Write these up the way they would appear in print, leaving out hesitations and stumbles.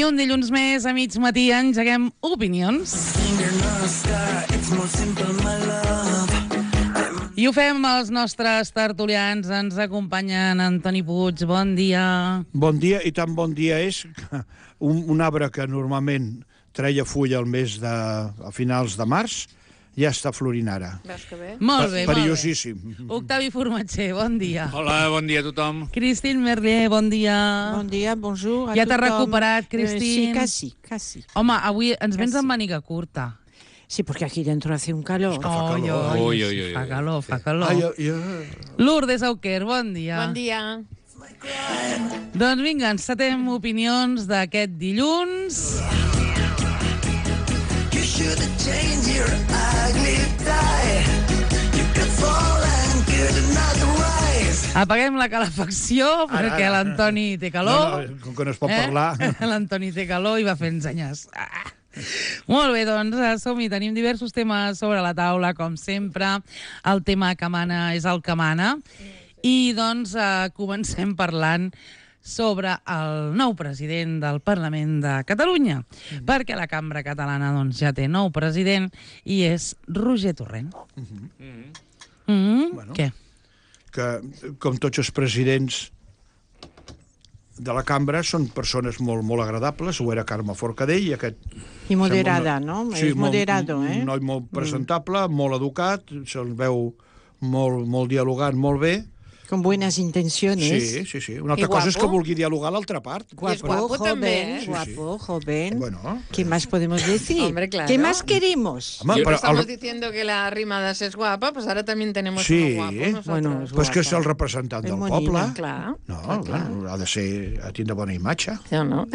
I un dilluns més, a mig matí, engeguem opinions. I ho fem amb els nostres tertulians. Ens acompanyen Antoni Puig, bon dia. Bon dia, i tan bon dia és que un arbre que normalment treia fulla a finals de març, ja està florint ara. Veus que bé? Molt bé, Perillosíssim. molt bé. Octavi Formatger, bon dia. Hola, bon dia a tothom. Christine Merlier, bon dia. Bon dia, bonjour a Ja tothom. t'has recuperat, Christine? Sí, casi. Home, avui ens vens Quasi. amb màniga curta. Sí, porque aquí dentro hace un calor. Oi. Fa calor, fa calor. Ai. Lourdes Auquer, bon dia. Bon dia. Doncs vinga, encetem opinions d'aquest dilluns. Apaguem la calefacció perquè l'Antoni té calor. No, com que no es pot parlar. L'Antoni té calor i va fent senyes. Molt bé, doncs som-hi. Tenim diversos temes sobre la taula, com sempre. El tema que mana és el que mana. I doncs comencem parlant sobre el nou president del Parlament de Catalunya, perquè la cambra catalana doncs, ja té nou president i és Roger Torrent. Bueno. Què? Que, com tots els presidents de la cambra, són persones molt, molt agradables. Ho era Carme Forcadell. I moderada, no? Sí, és moderado, Un noi molt presentable, molt educat, se'l veu molt dialogant, molt bé. Con buenas intenciones. Sí. Una altra cosa és que vulgui dialogar l'altra part. Guapo, guapo también, joven, guapo, joven. Bueno. ¿Qué más podemos decir? Hombre, claro. ¿Qué más queremos? Home, Siempre però estamos diciendo que la Arrimadas es guapa, pues ahora también tenemos Sí. uno guapo nosotros. Bueno, és Pues que és guapa. el representant És del monina, poble. Clar. No, bueno, ha de tindre bona imatge. Ja, no?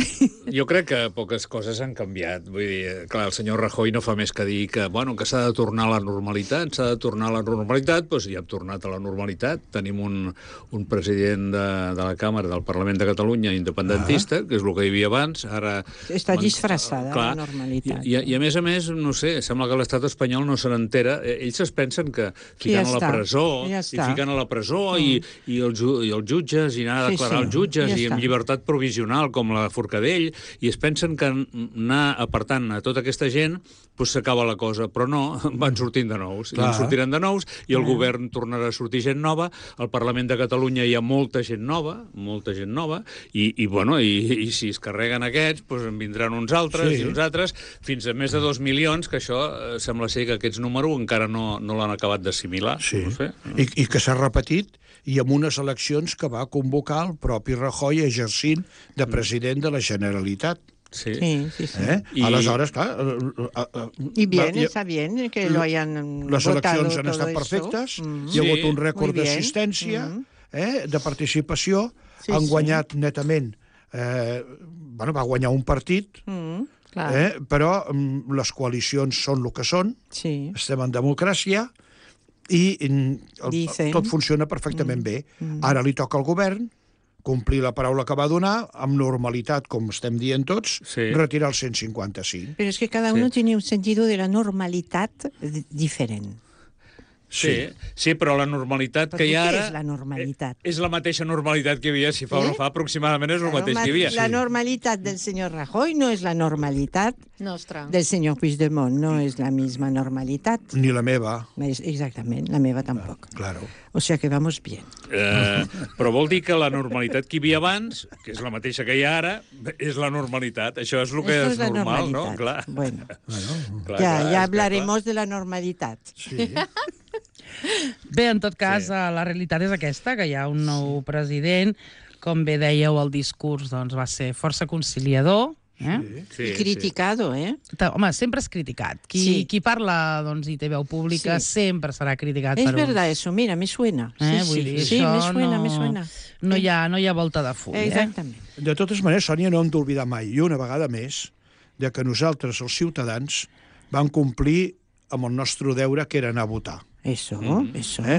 Jo crec que poques coses han canviat. Vull dir, clar, el senyor Rajoy no fa més que dir que, bueno, que s'ha de tornar a la normalitat, doncs ja hem tornat a la normalitat. Tenim un president de la Càmera del Parlament de Catalunya independentista, que és el que hi havia abans. Ara Està disfressada, clar, la normalitat. I a més, no sé, sembla que l'estat espanyol no se n'entera. Ells es pensen que ficant a la presó, ja i està. ficant a la presó i els jutges, i anar a declarar els jutges, ja i amb està. llibertat provisional, com la Forcadell, i es pensen que anar apartant a tota aquesta gent doncs s'acaba la cosa, però no, van sortint de nous, i en sortiran de nous, i el govern tornarà a sortir gent nova. Al Parlament de Catalunya hi ha molta gent nova, i si es carreguen aquests, doncs en vindran uns altres, i uns altres, fins a més de 2 milions, que això sembla ser que aquests números encara no l'han acabat d'assimilar. Sí, No sé. I que s'ha repetit, i amb unes eleccions que va convocar el propi Rajoy exercint de president de la Generalitat. Sí. Sí. Aleshores, clar... Y bien, está bien que lo hayan les votado eleccions han todo estat eso. perfectes, hi ha hagut un rècord Muy bien. d'assistència, de participació, Sí, han sí. guanyat netament... va guanyar un partit, Clar. però les coalicions són el que són, Sí. estem en democràcia, i Dicen. tot funciona perfectament bé. Ara li toca al govern complir la paraula que va donar, amb normalitat, com estem dient tots, retirar el 155. Pero es que cada uno tiene un sentido de la normalidad diferente. Sí, però la normalitat que hi ha ara... Què és la normalitat? És la mateixa normalitat que hi havia, si fa o no fa, aproximadament és el mateix que hi havia. La normalitat del señor Rajoy no es la normalitat Nostra. del señor Puigdemont, no es la misma normalitat. Ni la meva. Exactament, la meva tampoc. Claro. O sea que vamos bien. Però vol dir que la normalitat que hi havia abans, que és la mateixa que hi ha ara, és la normalitat. Això és el que Esto és la normal, no? normalitat. Clar. Bueno, Clar, ya hablaremos de la normalitat. Sí. Bé, en tot cas, la realitat és aquesta, que hi ha un nou president. Com bé dèieu, el discurs doncs, va ser força conciliador. I criticado, Home, sempre és criticat. Qui parla doncs, i té veu pública sempre serà criticat. Es verdad eso, mira, me suena. Vull dir, Sí, això me suena. No hi ha volta de full. Exactament. De totes maneres, Sònia, no hem d'oblidar mai, i una vegada més, de que nosaltres, els ciutadans, vam complir amb el nostre deure, que era anar a votar. Eso.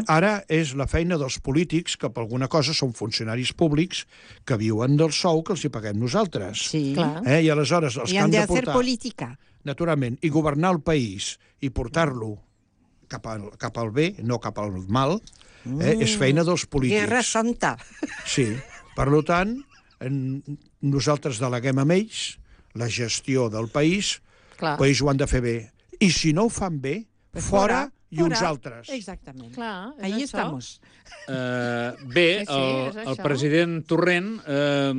Ara és la feina dels polítics, que per alguna cosa són funcionaris públics que viuen del sou que els hi paguem nosaltres. Sí. I aleshores els que han de portar... política. Naturalment, i governar el país i portar-lo cap al bé, no cap al mal, és feina dels polítics. Guerra santa. Sí. Per tant, nosaltres deleguem amb ells la gestió del país, Clar. el país ho han de fer bé. I si no ho fan bé, fora i uns altres. Exactament. Clar, és Ahí això. estamos. Bé, Sí, és el això. president Torrent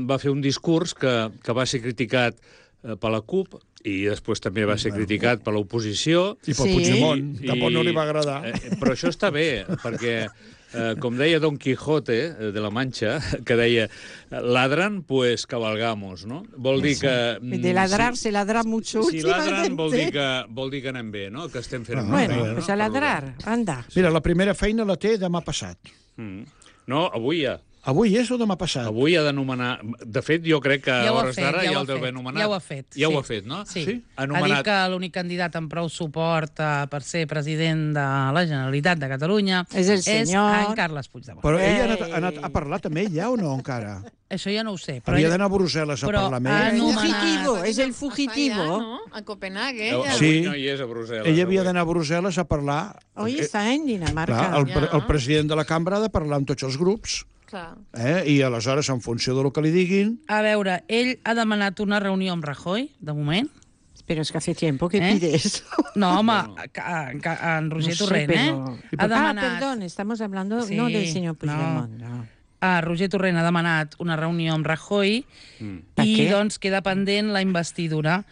va fer un discurs que va ser criticat per la CUP i després també va ser criticat per l'oposició. I pel Sí. Puigdemont, tampoc no li va agradar. Però això està bé, perquè, com deia Don Quijote de la Mancha, que deia, ladran, pues cabalgamos, no? Vol dir que... De ladrar se ladra mucho Si ladran últimamente. vol dir que anem bé, no? Que estem fent... Bueno, pues a ladrar, anda. Mira, la primera feina la té demà passat. No, avui ja. Avui és o demà passat? Avui ha de nomenar... De fet, jo crec que a Ja ho ha hores fet, d'ara ja ja ho el deu ha haver fet, nomenat. ja ho ha fet, Ja ho sí. ha fet, no? Sí. Sí? Ha dit que l'únic candidat amb prou suport per ser president de la Generalitat de Catalunya És el senyor- en Carles Puigdemont. Però ell ha parlat amb ell ja o no encara? Això ja no ho sé. Però Havia ell- d'anar a Brussel·les a però parlar amb ha ell. anomenat- Fugitivo, és el Està fugitivo. allà, no? A Copenhague, ella. Avui Sí. no hi és a Brussel·les. Ell havia avui. d'anar a Brussel·les a parlar... Hoy está en Dinamarca. Clar, Ja. el president de la cambra ha de parlar amb tots els grups, Clar. i aleshores, en funció del que li diguin... A veure, ell ha demanat una reunió amb Rajoy, de moment. Pero es que hace tiempo que ¿Eh? pide eso. No, home, en Roger No sé, Torrent, pero- ha demanat... perdón, estamos hablando Sí, no del señor Puigdemont. No. Roger Torrent ha demanat una reunió amb Rajoy Per i què? doncs queda pendent la investidura,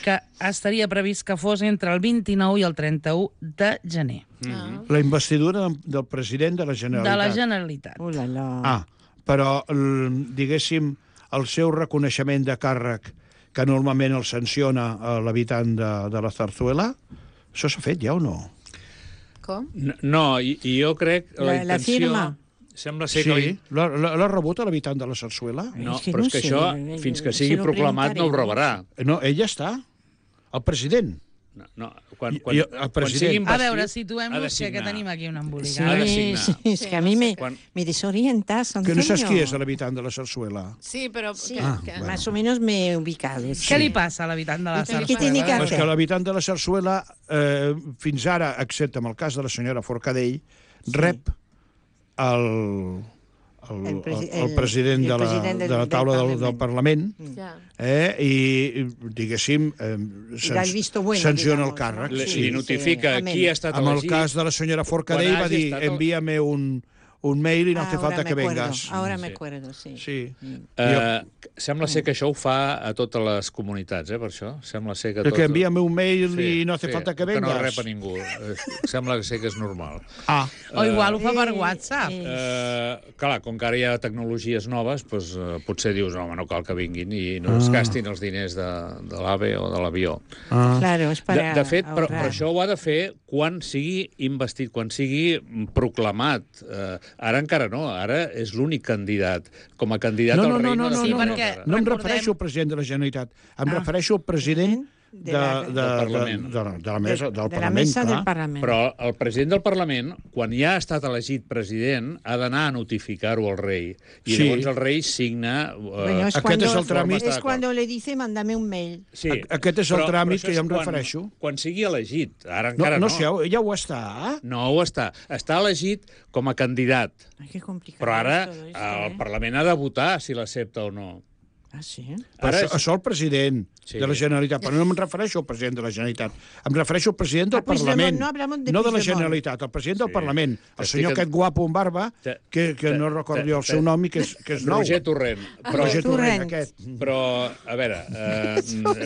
que estaria previst que fos entre el 29 i el 31 de gener La investidura del president de la de Generalitat. la Generalitat. La, la. Però, diguéssim, el seu reconeixement de càrrec, que normalment el sanciona l'habitant de la Zarzuela, això s'ha fet ja o no? Com? No, i jo crec... La intenció... firma. Sembla ser que... Sí, l'ha rebut l'habitant de la Zarzuela? No, És que però no és que sé, això, fins que se sigui lo proclamat, no ho preguntaré. rebrà. No, ell ja està. El president. No, quan el president. sigui A investit, veure, ha de situem-nos, que signar. tenim aquí una Sí, embolicada. Ha de signar. sí, es que a mí me desorientas, Que Antonio. no saps qui és l'habitant de la Zarzuela? Sí, però... Sí, que- más o menos me he ubicado. Què li passa a l'habitant de la ¿Qué Sarsuela? tiene que És que hacer? l'habitant de la Zarzuela, fins ara, excepte en el cas de la senyora Forcadell, rep el president de la taula del Parlament, Ja. i, diguéssim, Da el visto bueno, sanciona el digamos, càrrec. ¿no? Li notifica amén. qui ha estat Amb el elegit. cas de la senyora Forcadell Quan va hagi dir, estat envíame un mail i no hace falta que vengas. Ahora me acuerdo, sí. Sí. Sembla ser que això ho fa a totes les comunitats, per això. Sembla ser que... Que envíame un mail i no hace falta que Que no vengas. rep a ningú. Sembla ser que és normal. O igual ho fa per WhatsApp. Clar, com que ara hi ha tecnologies noves, doncs, potser dius, home, no cal que vinguin i no es gastin els diners de l'AVE o de l'avió. Claro, es para De fet, però ahorrar. això ho ha de fer quan sigui investit, quan sigui proclamat. Ara encara no, ara és l'únic candidat. Com a candidat al rei no ha de Sí, fer res perquè- ara. No em Recordem- refereixo al president de la Generalitat, em refereixo al president de la mesa, del de la Parlament, mesa clar. del Parlament. Però el president del Parlament, quan ja ha estat elegit president, ha d'anar a notificar-ho al rei. I Sí. llavors el rei signa... Bueno, es Aquest cuando, és el tràmit. Està es d'acord. cuando le dice, mándame un mail. Sí, Aquest és el tràmit això que jo em és refereixo. Quan sigui elegit. Ara No, encara no, no. sé, ja ho està. No ho està. Està elegit com a candidat. Ay, qué complicado. Però ara todo esto, el Parlament ha de votar si l'accepta o no. Ah, sí. Però Ara això el president Sí. de la Generalitat, però no em refereixo al president de la Generalitat, em refereixo al president del A Puigdemont, Parlament, no hablamos de no de la Puigdemont. Generalitat, el president del Sí. Parlament, el Estic senyor en- aquest guapo amb barba, que no recordo jo el seu nom i que és nou. Roger Torrent. Roger Torrent, Torrent. aquest. Però, a veure,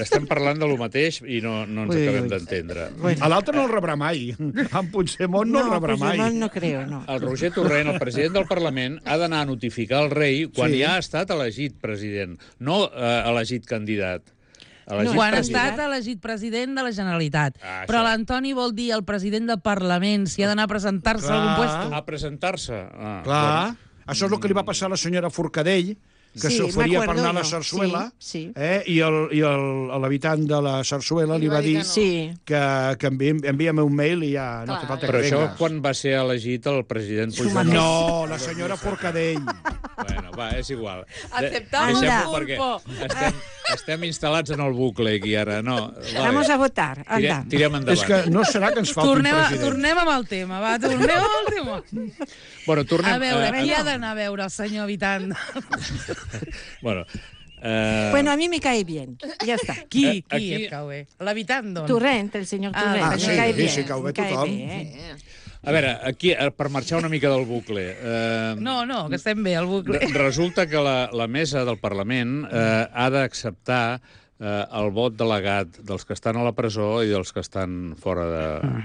estem parlant de lo mateix i no ens Ui, acabem ui. d'entendre. A l'altre no el rebrà mai. En Puigdemont no el rebrà mai. Puigdemont no creo, no. El Roger Torrent, el president del Parlament, ha d'anar a notificar el rei quan Sí. ja ha estat elegit president, no elegit candidat. Elegit Quan ha president. estat elegit president de la Generalitat. Ah, Però això. l'Antoni vol dir el president del Parlament, si ha d'anar a presentar-se a Clar. algun puesto. A presentar-se. Clar, això és el que li va passar a la senyora Forcadell, que Sí, s'oferia per m'acuerdo anar a la jo. Sarsuela, Sí, sí. i l'habitant de la Sarsuela li va dir que no. Sí. que envia'm un mail i ja no Clar, hace falta Però que això vengas. quan va ser elegit el president Su Puigdemont? No, la senyora Forcadell. Bueno, va, és igual. Aceptamos Deixem-ho el perquè pulpo. estem instal·lats en el bucle aquí ara. No, Vamos a votar, anda. Tirem endavant. És que no serà que ens falti un president. Tornem amb el tema, va, tornem amb el tema. Bueno, tornem... A veure, qui ha d'anar a veure el senyor habitant? Bueno, Bueno, a mí me cae bien. Ya está. Qui aquí- et cau bé? L'habitant, doncs? Torrent, el señor Ah, Torrent. sí, me cae sí, bien. sí, cau bé me cae tothom. bien. A veure, aquí, per marxar una mica del bucle... No, que estem bé, al bucle. Resulta que la mesa del Parlament ha d'acceptar el vot delegat dels que estan a la presó i dels que estan fora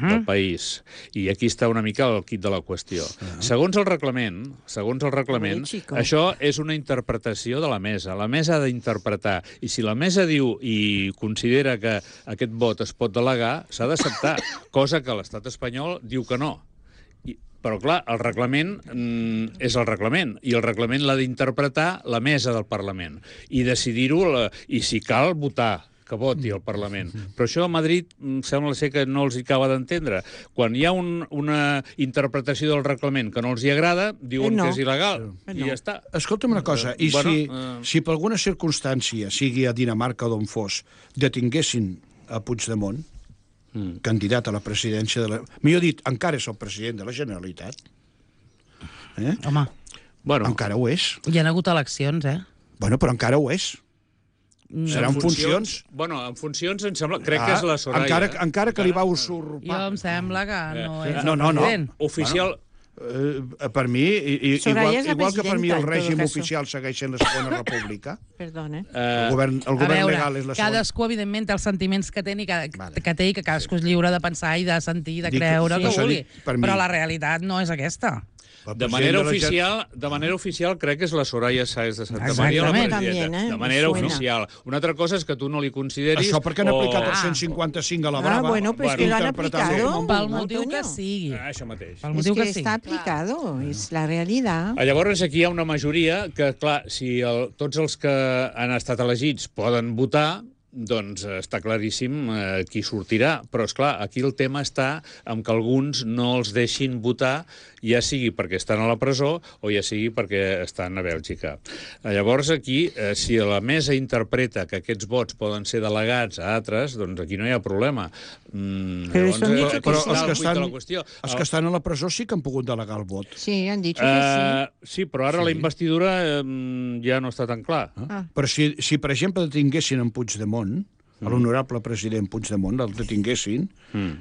del país. I aquí està una mica el quid de la qüestió. Segons el reglament, Ui, chico. això és una interpretació de la mesa. La mesa ha d'interpretar. I si la mesa diu i considera que aquest vot es pot delegar, s'ha d'acceptar, cosa que l'estat espanyol diu que no. Però, clar, el reglament és el reglament, i el reglament l'ha d'interpretar la mesa del Parlament, i decidir-ho, i si cal, votar que voti el Parlament. Però això a Madrid sembla ser que no els hi acaba d'entendre. Quan hi ha una interpretació del reglament que no els hi agrada, diuen no. que és il·legal, No. i ja està. Escolta'm una cosa, i Bueno, si per alguna circumstància, sigui a Dinamarca o d'on fos, detinguessin a Puigdemont, candidat a la presidència de la... Millor dit, encara és el president de la Generalitat. Home, Bueno, Encara ho és. hi ha hagut eleccions, Bueno, però encara ho és. Serà en funcions. Bueno, en funcions em sembla... Crec que és la Soraya. Encara que li va Jo usurpar. em sembla que no és No, el no, no. president. Oficial... Per mi, Soraya és la igual que per mi el presidenta, en tot règim caso. oficial segueix sent la Segona República, Perdón, el govern A veure, legal és la segona. cadascú, evidentment, té els sentiments que té i que té i que cadascú és lliure de pensar i de sentir i de Dic, creure el sí, que això vulgui. dic, per mi. Però la realitat no és aquesta. El De president manera oficial crec que és la Soraya Sáez de Santa Exactament. Maria la presidenta. También, De manera me suena. oficial. Una altra cosa és que tu no li consideris... Això perquè han aplicat el Ah. 155 a la brava. bueno, pues Bueno, que lo han interpretando aplicado. com Pel motiu que Antonio. sigui. Això mateix. Pel Es motiu que que sigui. está aplicado, es la realidad. Llavors, aquí hi ha una majoria que, clar, si tots els que han estat elegits poden votar, doncs està claríssim qui sortirà. Però, és clar, aquí el tema està en que alguns no els deixin votar, ja sigui perquè estan a la presó o ja sigui perquè estan a Bèlgica. Llavors, aquí, si la mesa interpreta que aquests vots poden ser delegats a altres, doncs aquí no hi ha problema. Però Llavors, han dicho que Però sí. els que estan a la presó sí que han pogut delegar el vot. Sí, han dicho que Sí, però ara la investidura ja no està tan clar. Però si per exemple, detinguessin en Puigdemont, l'honorable president Puigdemont, el detinguessin,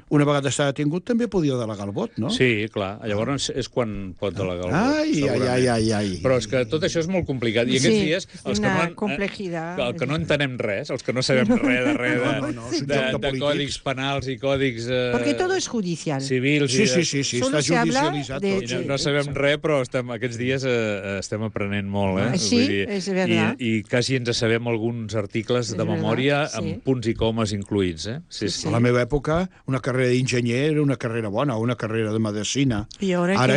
una vegada està detingut també podia delegar el vot, no? Sí, clar. Llavors és quan pot delegar el vot. Ai. segurament. Però és que tot això és molt complicat. I Sí, aquests dies, és els que una no, complejidad. el que no entenem res, els que no sabem res de res No, és un joc de de polítics. còdics penals i còdics Porque todo es judicial. civils... Sí, i sí, sí, sí, Solo està se habla judicialitzat de- tot. I no sabem res, però aquests dies estem aprenent molt, eh? Sí, és verdad. I quasi ens sabem alguns articles de És memòria verdad, sí. amb punts i comes incluïts, eh? Sí, sí. A la meva època, una carrera d'enginyer era una carrera bona, una carrera de medicina. I ara Ara, què?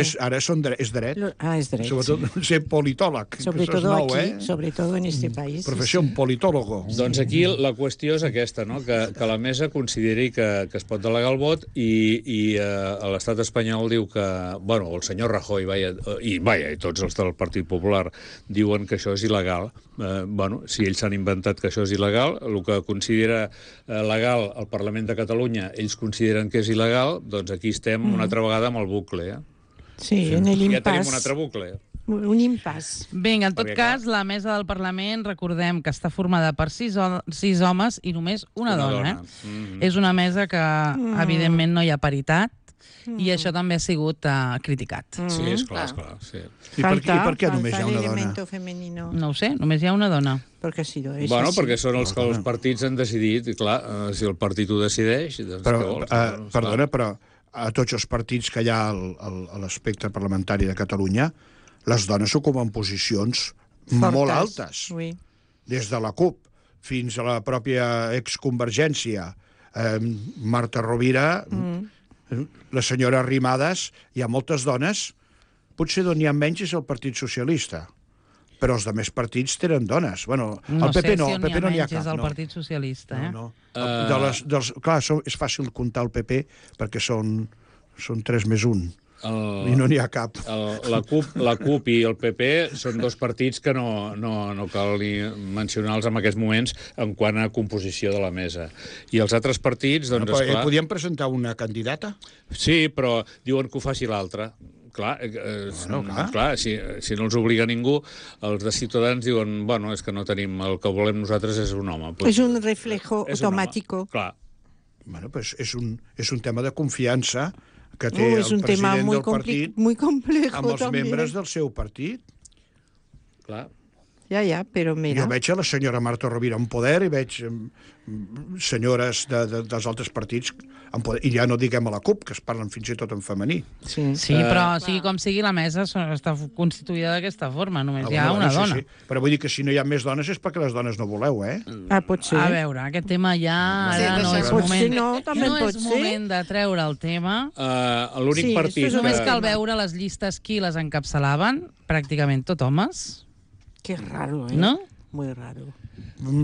és dret. Es derecho. Sobretot ser politòleg. Sobre que això és todo nou, aquí, sobre todo en este país. Professió, un politòlogo. Doncs aquí la qüestió és aquesta, no? que la mesa consideri que es pot delegar el vot i l'estat espanyol diu que... Bueno, el senyor Rajoy i tots els del Partit Popular diuen que això és il·legal. Bueno, si ells s'han inventat que això és il·legal, el que considera legal el Parlament de Catalunya, ells consideren que és il·legal, doncs aquí estem una altra vegada amb el bucle. Sí, en el Ja tenim un impasse. altre bucle. Un impasse. Vinga, en tot Perquè, cas, la mesa del Parlament, recordem que està formada per 6 homes i només una dona. És una mesa que, evidentment, no hi ha paritat, i això també ha sigut criticat. Sí, és clar, sí. I per què només hi ha falta el una dona? elemento femenino. No ho sé, només hi ha una dona. Porque ha sido eso. Bueno, así. perquè són els que els partits han decidit, i clar, si el partit ho decideix, doncs què Però, vols? perdona, però a tots els partits que hi ha a l'espectre parlamentari de Catalunya, les dones ocupen posicions Fortes. molt altes. Oui. Des de la CUP fins a la pròpia exconvergència. Marta Rovira, la senyora Arrimadas, hi ha moltes dones. Potser d'on hi ha menys és el Partit Socialista, però els altres partits tenen dones. Bueno, No el PP sé no, si el PP no n'hi ha menys és cap. el No. Partit Socialista, eh? No. Clar, és fàcil comptar el PP perquè són 3 més 1 i no n'hi ha cap. La CUP i el PP són dos partits que no cal ni mencionar-los en aquests moments en quant a composició de la mesa. I els altres partits, doncs, esclar... Podíem presentar una candidata? Sí, però diuen que ho faci l'altre. Clar, clar. si no els obliga ningú, els de Ciutadans diuen, bueno, és que no tenim, el que volem nosaltres és un home. Es un reflejo és un home. automático. Clar. Bueno, pues és un tema de confiança que té Es el un tema president muy, del partit muy complejo amb els también. membres del seu partit. Clar. Ya, pero mira. Jo veig a la senyora Marta Rovira en poder i veig senyores dels altres partits en poder, i ja no diguem a la CUP, que es parlen fins i tot en femení. Sí. Sí, però sigui com sigui, la mesa està constituïda d'aquesta forma, només hi ha una dona. Sí. Però vull dir que si no hi ha més dones és perquè les dones no voleu, eh? Pot ser. A veure, aquest tema ja Sí, ara no això és pot moment. ser, no, també pot és ser. moment de treure el tema. L'únic Sí, partit... això és Només que- cal veure les llistes qui les encapçalaven, pràcticament tot homes, Qué raro, ¿eh? no? Muy raro.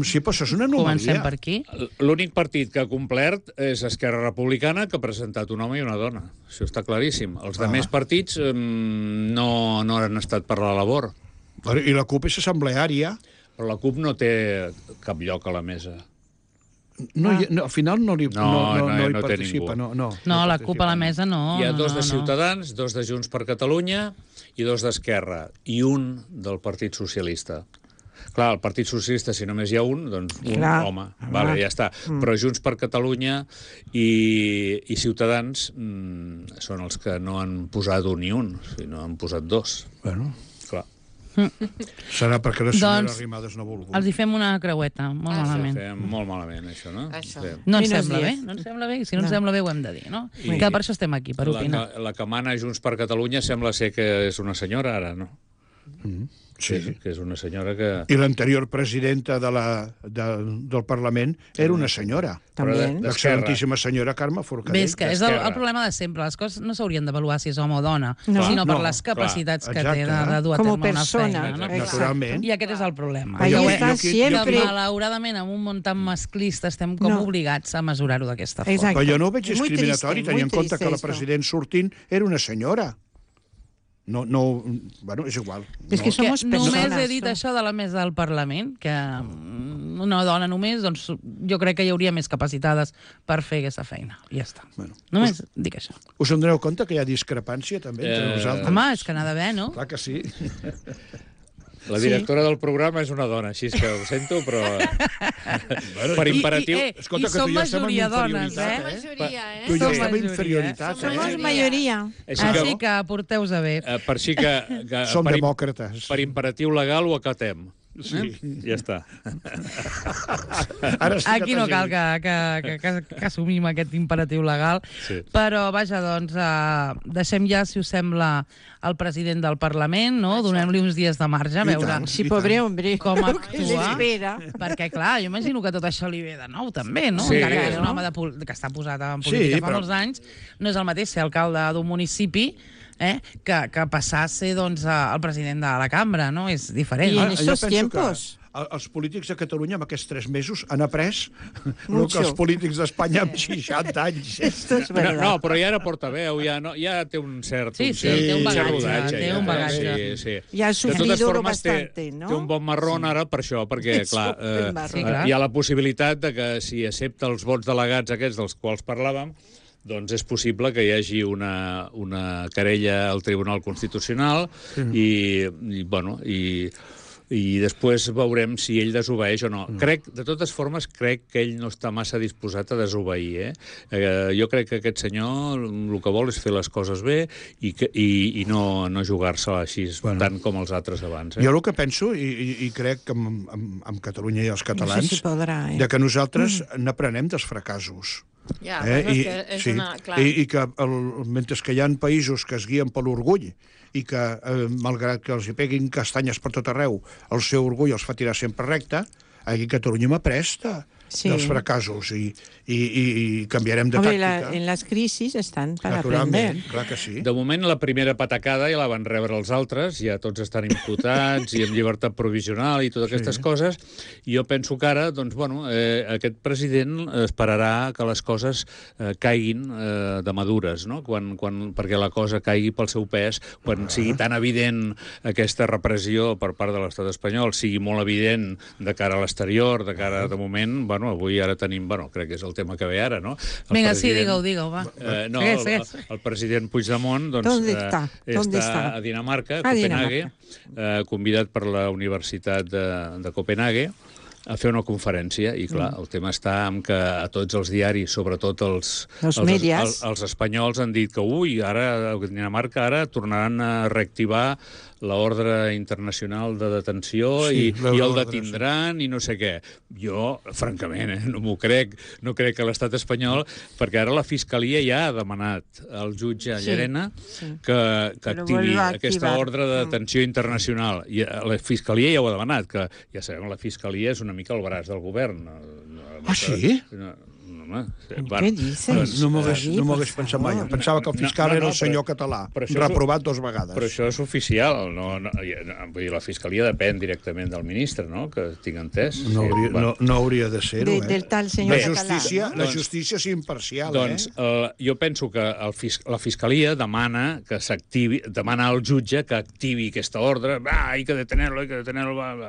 Sí, però això és una Comencem anomalia. per aquí. L'únic partit que ha complert és Esquerra Republicana, que ha presentat un home i una dona. Això està claríssim. Els altres partits no han estat per la labor. I la CUP és assembleària. Però la CUP no té cap lloc a la mesa. No, al final no hi no té participa. ningú. No, la CUP a la mesa no. Hi ha dos no, de no. Ciutadans, dos de Junts per Catalunya i dos d'Esquerra, i un del Partit Socialista. Clar, el Partit Socialista, si només hi ha un, doncs un home. Vale, ja està. Però Junts per Catalunya i Ciutadans són els que no han posat un ni un, sinó han posat dos. Bueno, Clar. serà perquè la senyora Doncs, Arrimadas no ha volgut. Els hi fem una creueta, molt malament. Fem molt malament, això, no? Això. Sí. No ens Menys sembla bé, 10. no ens sembla bé. Si no ens sembla bé, ho hem de dir, no? I- Que per això estem aquí, per opinar. La que mana Junts per Catalunya sembla ser que és una senyora, ara, no? Sí. Que és una senyora que... I l'anterior presidenta del Parlament era una senyora. También. L'excel·lentíssima senyora Carme Bé, Forcadell. és que és el problema de sempre. Les coses no s'haurien d'avaluar si és home o dona, No. sinó per No, les capacitats que exacte. té de dur a Com a terme una persona. feina. No? Naturalment. I aquest és el problema. Ahí Jo- está jo- jo- siempre. Que, malauradament, en un món tan masclista estem com No. obligats a mesurar-ho d'aquesta forma. Exacte. Però jo no ho veig És muy discriminatori, triste, tenint en muy compte triste que la esto. president sortint era una senyora. No, bueno, és igual. És que Que somos només personas. he dit ¿no? això de la mesa del Parlament, que una dona només, doncs jo crec que hi hauria més capacitades per fer aquesta feina. I ja està. Bueno, Només dic això. Us en doneu compte que hi ha discrepància també entre nosaltres? Home, és que n'ha d'haver, no? Clar que sí. La directora del programa és una dona, així és que ho sento, però... per imperatiu... Escolta, I que som tu i jo estem en majoria dones, inferioritat, Som majoria, Tu i jo Som estem en majoria, inferioritat, Som Somos eh? mayoría. Així que porteu-vos a bé. Per així que Som per, demòcrates. per imperatiu legal ho acatem. Sí. Ja està. Ara sí Aquí que no t'has cal dit. que assumim aquest imperatiu legal, Sí. però vaja, doncs, deixem ja, si us sembla, el president del Parlament, no? Donem-li uns dies de marge, a I veure tant. Sí, pobre hombre. com ¿Qué le actua. espera? Perquè, clar, jo imagino que tot això li ve de nou, també, no? Sí. Encara que és un home que està posat en política Sí, fa però- molts anys, no és el mateix ser alcalde d'un municipi que passar a ser doncs, el president de la cambra, no? És diferent. I en Jo estos penso tiempos. que els polítics de Catalunya en aquests 3 mesos han après el que Mucho. els polítics d'Espanya amb 60 anys. Esto es No, verdad. no, però ja era portaveu, ja té un cert... Sí, sí, té un cert bagatge, rodatge, té ja. un bagatge. Sí, sí. I ha De sufrido totes formes, bastante, ¿no? té un bon marrón ara per això, perquè, clar, un marrón. Sí, clar. hi ha la possibilitat de que si accepta els vots delegats aquests dels quals parlàvem, doncs és possible que hi hagi una querella al Tribunal Constitucional i després veurem si ell desobeeix o no. De totes formes, crec que ell no està massa disposat a desobeir. Jo crec que aquest senyor el que vol és fer les coses bé i no jugar-se així tant com els altres abans. Jo el que penso, i crec que amb Catalunya i els catalans, No sé si podrà, de que nosaltres n'aprenem dels fracassos. Ja, però és que és sí, una... Clar. i que mentre que hi ha països que es guien per l'orgull i que, malgrat que els hi peguin castanyes per tot arreu, el seu orgull els fa tirar sempre recte, aquí a Catalunya m'ha pres dels fracassos i canviarem de Hombre, tàctica. en las crisis están para Naturalment, aprender. clar que sí. De moment, la primera patacada ja la van rebre els altres, ja tots estan imputats i amb llibertat provisional i totes aquestes coses, i jo penso que ara, doncs, bueno, aquest president esperarà que les coses caiguin de madures, no? Perquè la cosa caigui pel seu pes, quan sigui tan evident aquesta repressió per part de l'estat espanyol, sigui molt evident de cara a l'exterior, de cara, de moment, bueno, avui ara tenim, bueno, crec que és el tema que ve ara, no? Vinga, sí, digue-ho, va. No, el president Puigdemont ¿Dónde està a Dinamarca, a Copenhague, convidat per la Universitat de Copenhague, a fer una conferència, i clar, el tema està en que a tots els diaris, sobretot els espanyols, han dit que, ara a Dinamarca tornaran a reactivar l'ordre internacional de detenció i el detindran i no sé què. Jo, francament, no m'ho crec. No crec que l'estat espanyol, perquè ara la Fiscalia ja ha demanat al jutge Llarena que activi aquesta ordre de detenció internacional. I la Fiscalia ja ho ha demanat, que ja sabem, la Fiscalia és una mica el braç del govern. Ah, sí? Què dices? No m'ho hagués pensat mai. Pensava que el fiscal era el senyor català, reprovat 2 vegades. Però això és oficial. Vull dir, la Fiscalia depèn directament del ministre, no?, que tinc entès. No hauria de ser-ho, Del tal senyor català. La justícia és imparcial, Doncs jo penso que la Fiscalia demana al jutge que activi aquesta ordre. Hay que detenerlo,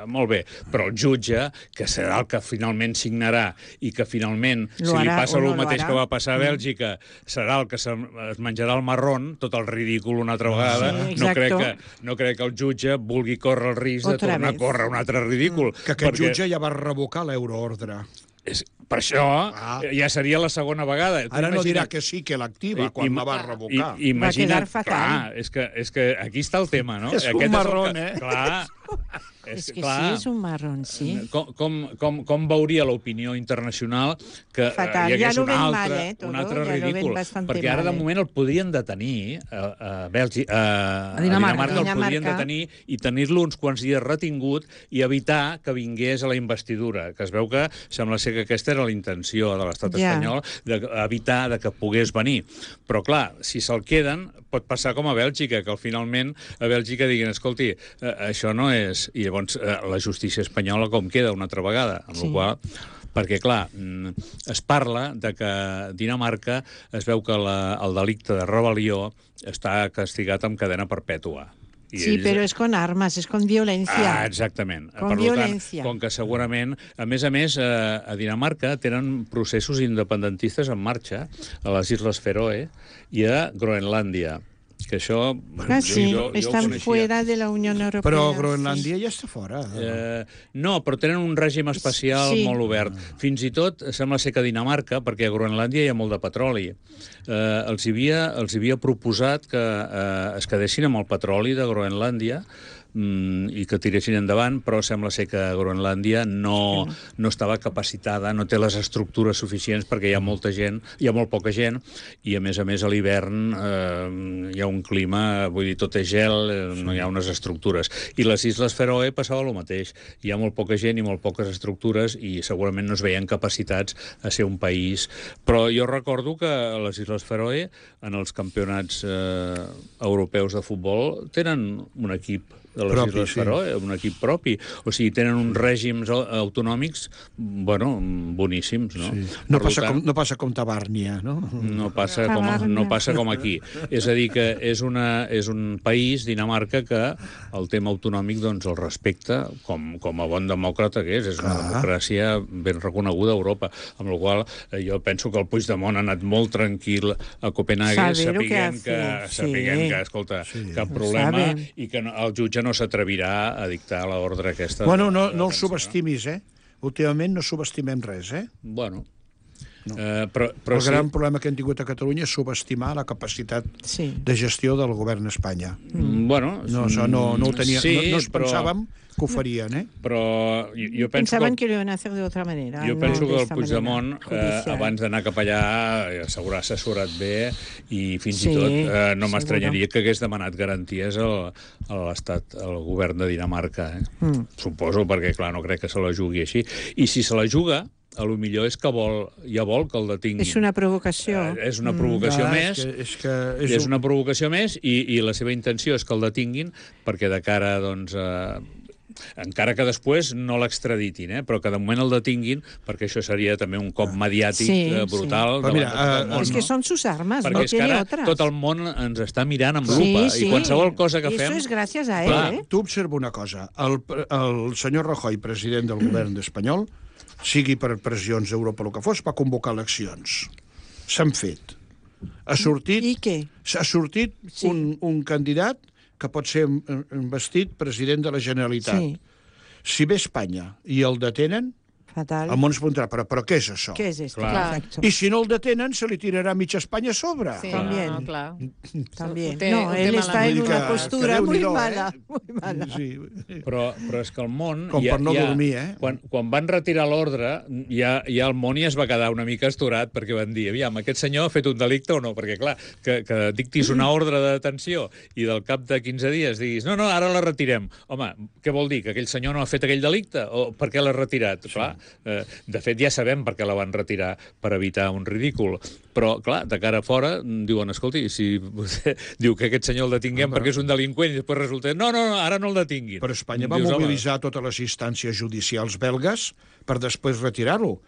molt bé. Però el jutge, que serà el que finalment signarà i que finalment, si li passa el mateix que va passar a Bèlgica, serà el que es menjarà el marrón, tot el ridícul una altra vegada. No crec que el jutge vulgui córrer el risc de tornar a córrer un altre ridícul. Que aquest jutge ja va revocar l'euroordre. Per això ja seria la segona vegada. Ara no dirà que sí, que l'activa, quan la va revocar. Va quedar fatal. Clar, és que aquí està el tema, no? És un marrón, Clar. És que sí, és un marrón, sí. Com veuria l'opinió internacional que hi hagués un altre ridícul? Perquè ara, de moment, el podrien detenir a Dinamarca, el podrien detenir i tenir-lo uns quants dies retingut i evitar que vingués a la investidura, que es veu que sembla ser que aquesta era la intenció de l'estat espanyol, d'evitar que pogués venir. Però, clar, si se'l queden, pot passar com a Bèlgica, que finalment a Bèlgica diguin, escolti, això no és... I llavors la justícia espanyola com queda una altra vegada, amb la qual... Perquè, clar, es parla de que a Dinamarca es veu que el delicte de rebel·lió està castigat amb cadena perpètua. Sí, però és con armes, és con violència. Exactament. Con violència. Com que segurament, a més, a Dinamarca tenen processos independentistes en marxa a les Isles Feroe i a Groenlàndia. Que això... estan fuera de la Unió Europea. Però Groenlàndia ja està fora. No, però tenen un règim especial molt obert. Fins i tot, sembla ser que a Dinamarca, perquè a Groenlàndia hi ha molt de petroli, els havia proposat que es quedessin amb el petroli de Groenlàndia i que tiressin endavant, però sembla ser que Groenlàndia no estava capacitada, no té les estructures suficients perquè hi ha molta gent, hi ha molt poca gent, i a més a l'hivern hi ha un clima, vull dir, tot és gel, no hi ha unes estructures. I les Isles Feroe passava el mateix. Hi ha molt poca gent i molt poques estructures i segurament no es veien capacitats a ser un país. Però jo recordo que les Isles Feroe, en els campionats europeus de futbol, tenen un equip de les Isles Feroe, un equip propi. O sigui, tenen uns règims autonòmics, boníssims, no? No passa com Tabàrnia, no? No passa com aquí. És a dir, que és un país, Dinamarca, que el tema autonòmic el respecta com a bon demòcrata que és. És una democràcia ben reconeguda a Europa. Amb la qual jo penso que el Puigdemont ha anat molt tranquil a Copenhague, sapiguent que, escolta, cap problema, i que el jutge no s'atrevirà a dictar l'ordre aquesta. Bueno, no el subestimis, Últimament no subestimem res, Bueno. Però el gran problema que hem tingut a Catalunya és subestimar la capacitat de gestió del govern d'Espanya. Bueno... No ho tenia, no es pensàvem que ho farien, Però jo penso Pensaven que ho iban a hacer de otra manera. Jo penso que el Puigdemont, abans d'anar cap allà, s'haurà assessorat bé i fins i tot no m'estranyaria que hagués demanat garanties a l'estat, al govern de Dinamarca. Suposo, perquè, clar, no crec que se la jugui així. I si se la juga, a lo millor és que vol que el detinguin. És una provocació. És una provocació més. És una provocació més i la seva intenció és que el detinguin perquè de cara, encara que després no l'extraditin, però que de moment el detinguin, perquè això seria també un cop mediàtic brutal. És que són sus armes, no tiene otras. Tot el món ens està mirant amb lupa i qualsevol cosa que fem... Eso es gracias a él. Tu observa una cosa. El senyor Rajoy, president del govern espanyol, sigui per pressions d'Europa o el que fos, va convocar eleccions. S'han fet. Ha sortit I què? un candidat que pot ser investit president de la Generalitat. Sí, Si ve a Espanya i el detenen, fatal. el món es preguntarà, però què és això? ¿Qué es esto? Claro. Exacto. I si no el detenen, se li tirarà mitja Espanya a sobre. Sí, También. no, clar. También. Ho té- No, ho té él malament. está en Vull dir una que postura muy Déu-n'hi-do, mala, muy mala. Sí. Però és que el món... Com per no dormir, eh? Quan van retirar l'ordre, ja el món ja es va quedar una mica estorat, perquè van dir, aviam, aquest senyor ha fet un delicte o no? Perquè, clar, que dictis una ordre de detenció i del cap de 15 dies diguis, no, ara la retirem. Home, què vol dir? Que aquell senyor no ha fet aquell delicte? O per què l'ha retirat? Sí. Clar, de fet, ja sabem per què la van retirar, per evitar un ridícul. Però, clar, de cara a fora, diuen, escolti, si vostè diu que aquest senyor el detinguem perquè és un delinqüent i després resulta, no, ara no el detinguin. Però Espanya va Dius, home, mobilitzar totes les instàncies judicials belgues per després retirar-lo.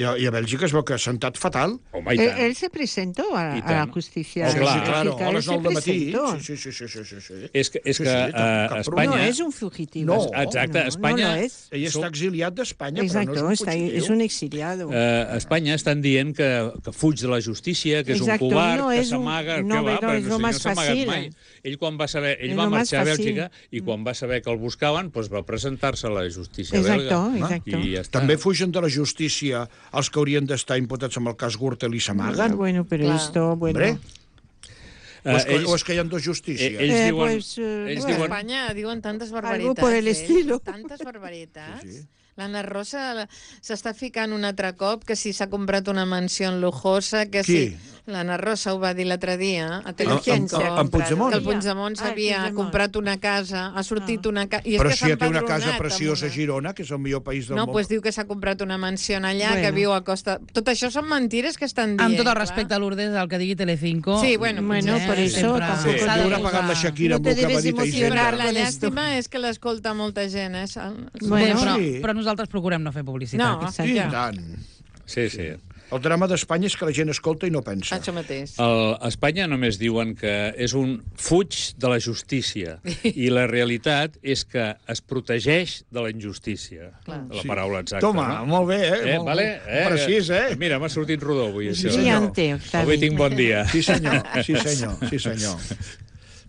I a Bèlgica es veu que ha sentat fatal. Home, i tant. Él se presentó a Y la tan. justicia. Sí, claro, claro, Bélgica, a él les se 9 del matí. presentó. Sí. És que Sí, cap a Espanya... No es un fugitivo. No, exacte, no, Espanya... No lo es. Ell està exiliat d'Espanya, Exacto, però no és un está ahí, fugitiu. es un exiliado. A Espanya estan dient que fuig de la justícia, que és Exacto, un covard, no que és un- s'amaga... no, què va? però és Però lo si más no s'ha amagat fàcil. mai. Ell quan va saber... Ell És va lo más marxar a fàcil. Bèlgica i quan va saber que el buscaven, doncs va presentar-se a la justícia Exacto, belga. exacto. I ja està. També fugen de la justícia els que haurien d'estar imputats amb el cas Gürtel i s'amaguen. Bueno, pero Claro. esto, bueno. Hombre, Ells- o és que hi ha dos justícies? ells diuen... Pues, ells A bueno. diuen... Espanya diuen tantes barbaritats. por el estilo. Tantes barbaritats. Sí, sí. L'Anna Rosa s'està ficant un altre cop que si s'ha comprat una mansió lujosa, que Qui? si... L'Anna Rosa ho va dir l'altre dia a ¿Quién se ha amb Puigdemont? que el Puigdemont s'havia Puigdemont. comprat una casa, ha sortit una casa... Però si ja té una casa preciosa a Girona, que és el millor país del No, món. doncs diu que s'ha comprat una mansió allà, Bueno. que viu a costa... Tot això són mentides que estan dient. Amb tot el clar. respecte a Lourdes, el que digui Telecinco... Sí, bueno, Bueno, por eso sempre tampoco s'ha Li de haurà posar- pagat la Shakira No amb te el que va debes dir Sí, emocionar. però la con esto. llàstima és que l'escolta molta gent. Bé, Bueno, però, sí. però nosaltres procurem no fer publicitat. No, I ja. tant. Sí, sí. El drama d'Espanya és que la gent escolta i no pensa. Això mateix. A Espanya només diuen que és un fuig de la justícia i la realitat és que es protegeix de la injustícia. La paraula exacta. Toma, no? molt bé, molt Vale? precís, eh? Mira, m'ha sortit rodó avui, això. senyor. brillante, Octavi. Avui tinc bon dia. Sí, senyor.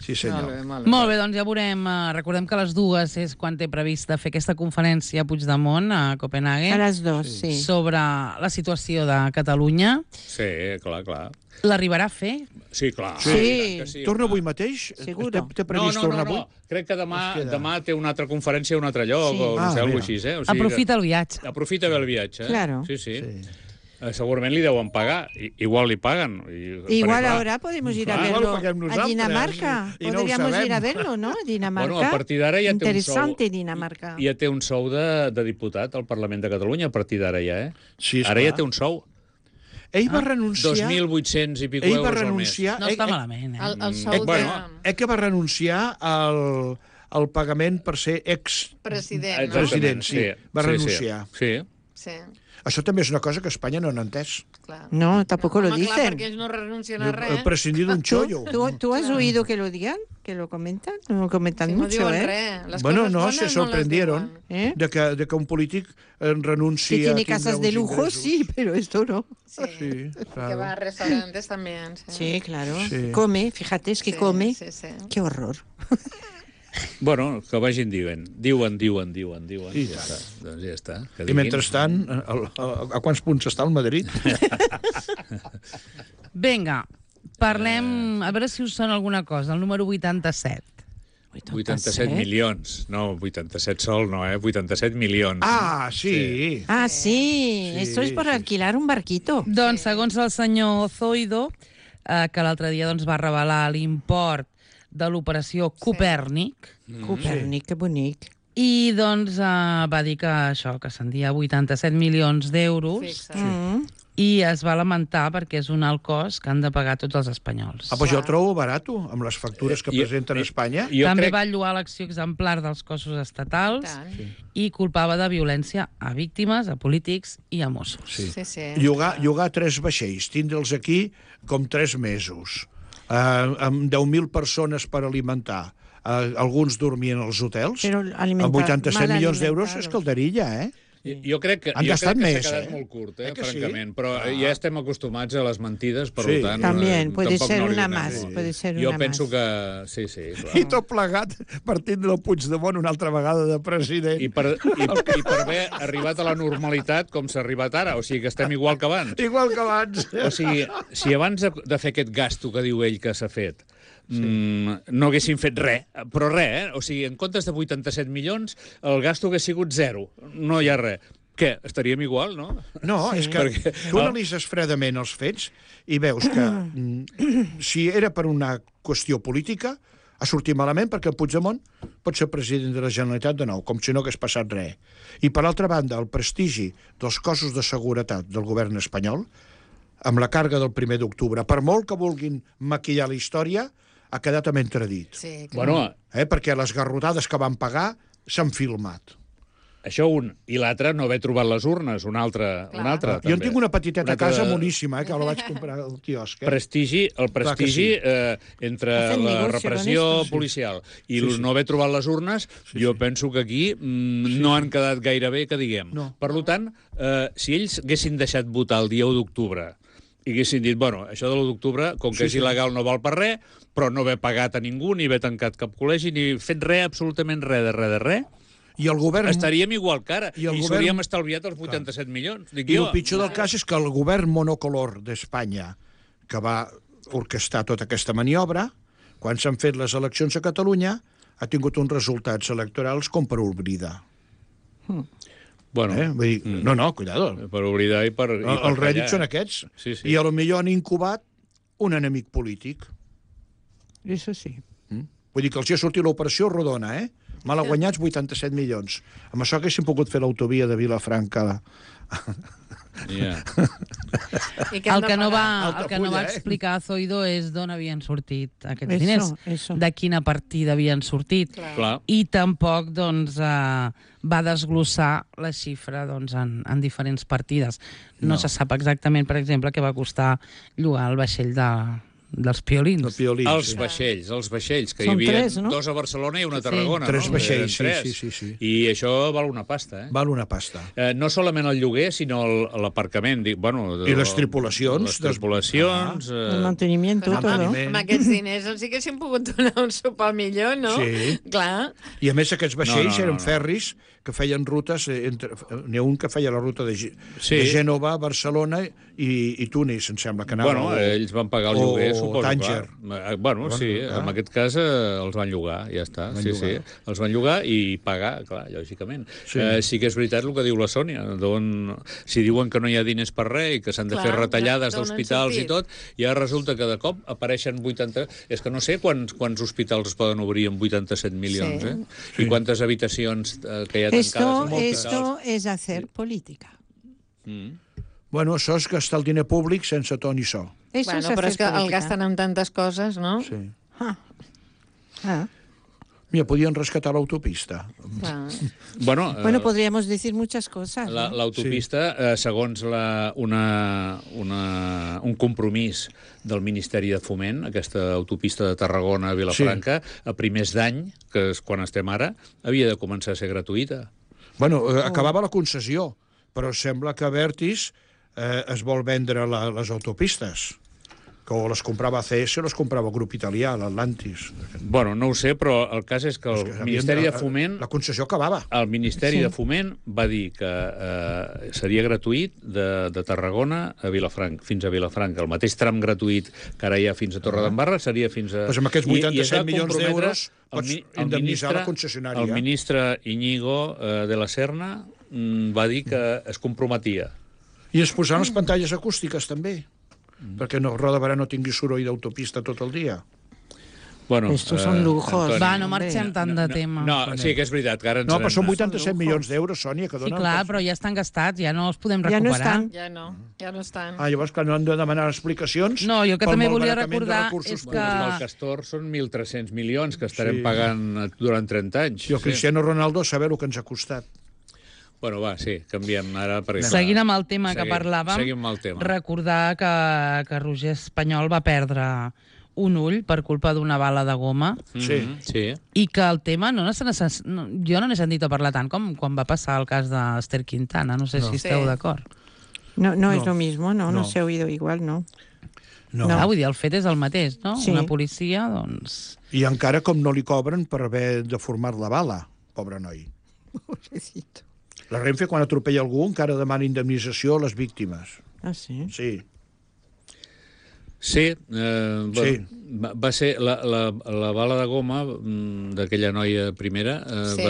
Sí, senyor. Molt bé, doncs ja veurem. Recordem que a les 2 és quan té prevista fer aquesta conferència a Puigdemont, a Copenhague, a las 2, sí. sobre la situació de Catalunya. Sí, clar. L'arribarà a fer? Sí, clar. Sí. I tant que sí, Torna home. avui mateix? Seguro. Té previst tornar avui? Crec que Es queda. demà té una altra conferència a un altre lloc, Sí. o no sé, Ah, alguna mira. cosa així, eh? O Aprofita el viatge. Aprofita bé el viatge, eh? Claro. Sí. Segurament li deuen pagar. Igual li paguen. Igual perquè, clar, ahora podemos ir a Igual verlo lo paguem a nosaltres, Dinamarca. i no ho Podríamos sabem. ir a verlo, ¿no? A Dinamarca. Bueno, a partir d'ara ja té un sou. Interesante Dinamarca. Ja té un sou de diputat al Parlament de Catalunya, a partir d'ara ja, eh? Sí, Ara esclar. ja té un sou. Ell va renunciar... 2.800 i pico Ell va euros al mes. renunciar... No està malament, eh? El sou bueno, que va renunciar al pagament per ser ex-president, President, no? sí. Va renunciar. Sí. Sí, Això també és una cosa que Espanya no n'ha entès. clar. No, tampoco lo Home, clar, dicen. perquè ells no renuncien a res. Prescindir d'un xollo. ¿Tú has oído que lo digan? ¿Que lo comentan? No lo comentan Sí, no mucho, diuen ¿eh? res. Les Bueno, coses no, bones se les sorprendieron diuen. ¿Eh? de que un polític renuncia Que tiene a tindre casas uns de lujo, ingressos. sí, pero esto no. Sí. Sí, Que claro. va a restaurantes también. Sí, Sí, claro. Sí. Come, fíjate, es que Sí, come. Sí, sí. Qué horror. Bueno, que vagin diuen. Diuen. I Ja està. Doncs ja està. Que I diguin. mentrestant, a quants punts està el Madrid? Vinga, parlem... A veure si us sona alguna cosa. El número 87. 87 milions. No, 87 sol no, 87 milions. Ah, sí. Ah, sí. Esto es por alquilar un barquito. Doncs, segons el senyor Zoido, que l'altre dia doncs, va revelar l'import de l'operació Copèrnic, Copèrnic, que bonic. i doncs va dir que això, que ascendia a 87 milions d'euros, Fixa. i es va lamentar perquè és un alt cost que han de pagar tots els espanyols. Ah, pues jo ho trobo barat, amb les factures que presenten a Espanya. Jo També crec... va lloar l'acció exemplar dels cossos estatals Tant. i culpava de violència a víctimes, a polítics i a Mossos. Sí. Sí. Llogar 3 vaixells, tindre'ls aquí com 3 mesos, amb 10.000 persones per alimentar, alguns dormien als hotels, Però amb 87 mal milions d'euros és alimentados. calderilla, eh? Jo crec que Han gastat s'ha més, quedat molt curt, Que sí? francament, però ja estem acostumats a les mentides, per Sí. tant... También, puede tampoc ser no li una donem más, molt. puede ser Jo una penso más. que... Sí, clar. I tot plegat partint del Puigdemont una altra vegada de president. I per haver arribat a la normalitat com s'ha arribat ara, o sigui que estem igual que abans. Igual que abans. O sigui, si abans de fer aquest gasto que diu ell que s'ha fet, no haguessin fet res, però res, O sigui, en comptes de 87 milions, el gasto hagués sigut 0. No hi ha res. Què? Estaríem igual, no? No, és que tu analitzes fredament els fets i veus que si era per una qüestió política, ha sortit malament perquè el Puigdemont pot ser president de la Generalitat de nou, com si no hagués passat res. I, per altra banda, el prestigi dels cossos de seguretat del govern espanyol, amb la càrrega del 1 d'octubre, per molt que vulguin maquillar la història, ha quedat amb entredit. Sí, Bueno, Perquè les garrotades que van pagar s'han filmat. això un. I l'altre, no haver trobat les urnes, un altre. Jo en tinc una petiteta a altre casa moníssima, que la vaig comprar al quiosc. El prestigi entre Hacen la negocio repressió con esto, sí. policial i no haver trobat les urnes, jo penso que aquí no han quedat gaire bé, que diguem. No. Per tant, si ells haguessin deixat votar el dia 1 d'octubre i haguessin dit, bueno, això de l'1 d'octubre, com que és il·legal no val per res, però no haver pagat a ningú, ni haver tancat cap col·legi, ni fet res, absolutament res de res, I el govern... estaríem igual que ara. I el I govern- s'hauríem estalviat els 87 milions. Dic I jo. el pitjor del cas és que el govern monocolor d'Espanya, que va orquestar tota aquesta maniobra, quan s'han fet les eleccions a Catalunya, ha tingut uns resultats electorals com per oblidar. Bueno, Vull dir, no, cuidado. per oblidar i per Els rèdits són aquests. Sí. I a lo millor han incubat un enemic polític. Eso sí. Vull dir que els hi ha sortit l'operació rodona, Mal guanyats 87 milions. Amb això haguéssim pogut fer l'autovia de Vilafranca. Ja. I què hem El de que no pagar? va, el que no va Altafulla, explicar Zoido és d'on havien sortit aquests Eso, diners, eso. de quina partida havien sortit. Clar. I tampoc va desglossar la xifra en diferents partides. No se sap exactament, per exemple, què va costar llogar el vaixell dels piolins. El piolí. Els vaixells, que hi Són havia 3, no? 2 a Barcelona i una a Tarragona. Tres no? vaixells, Eren sí, tres. sí. I això val una pasta, Val una pasta. No solament el lloguer, sinó l'aparcament. I les tripulacions. Les tripulacions... El mantenimiento, todo. Amb aquests diners els haguessin pogut donar un sopar millor, no? Sí. Clar. I a més aquests vaixells No. eren ferris que feien rutes, n'hi ha un que feia la ruta de Sí. Gènova, Barcelona i Tunis, em sembla que anava. Bueno, ells van pagar el lloguer, o suposo. Tànger. Bueno, sí, clar. en aquest cas els van llogar, ja està. Van Sí, llogar. sí, els van llogar i pagar, clar, lògicament. Sí. Sí que és veritat el que diu la Sònia. Si diuen que no hi ha diners per res i que s'han de Clar, fer retallades d'on han d'hospitals i sortit? tot, ja resulta que de cop apareixen 80... És que no sé quants hospitals es poden obrir amb 87 milions, Sí. I quantes habitacions que hi ha tancades Esto, als hospitals. esto es hacer política. Bueno, això és gastar el diner públic sense to ni so. Eso Bueno, es però hacer és que el política. gasten en tantes coses, no? Sí. Ah. Mira, podien rescatar l'autopista. Clar. Bueno, Bueno, podríamos decir muchas cosas. ¿no? l'autopista, segons un compromís del Ministeri de Foment, aquesta autopista de Tarragona a Vilafranca, a primers d'any, que és quan estem ara, havia de començar a ser gratuïta. Bueno, acabava la concessió, però sembla que Abertis es vol vendre les autopistes, que o les comprava ACS o les comprava el grup italià, l'Atlantis. Bueno, no ho sé, però el cas és que el Ministeri de Foment... La concessió acabava. El Ministeri de Foment va dir que seria gratuït de Tarragona a Vilafranca, fins a Vilafranca. El mateix tram gratuït que ara hi ha fins a Torredembarra seria fins a... Doncs amb aquests 87 I es va milions comprometre d'euros pots indemnitzar la concessionària. El ministre Íñigo de la Serna va dir que es comprometia. I es posaran les pantalles acústiques, també, perquè Roda Barà no tingui soroll d'autopista tot el dia. Bueno, Estos son lujos. Antoni, Va, no marxem tant de tema. No, sí que és veritat, que ara ens No, però són n'hem- 87 milions d'euros, Sònia, que Sí, donen... clar, però ja estan gastats, ja no els podem Ja no recuperar. estan. Ja no estan. Ah, llavors que no han de demanar explicacions... No, jo que pel també volia malbaratament de recordar recursos és públics. que- El Castor són 1.300 milions que estarem Sí. pagant durant 30 anys. I el Cristiano Ronaldo saber el que ens ha costat. Bueno, va, sí, canviem ara. Perquè, Seguint amb el tema que Seguim parlàvem, amb el tema. recordar que Roger Espanyol va perdre un ull per culpa d'una bala de goma Sí. i que el tema jo no n'he sentit a parlar tant com quan va passar el cas d'Ester Quintana. No sé si esteu d'acord. No es lo mismo, no se ha oído igual, no. No. Vull dir, el fet és el mateix, no? Sí. Una policia, doncs... I encara com no li cobren per haver deformat la bala, pobre noi. Pobrecito. La Renfe, quan atropella algú, encara demana indemnització a les víctimes. Ah, sí? Sí. Sí, va ser la bala de goma d'aquella noia primera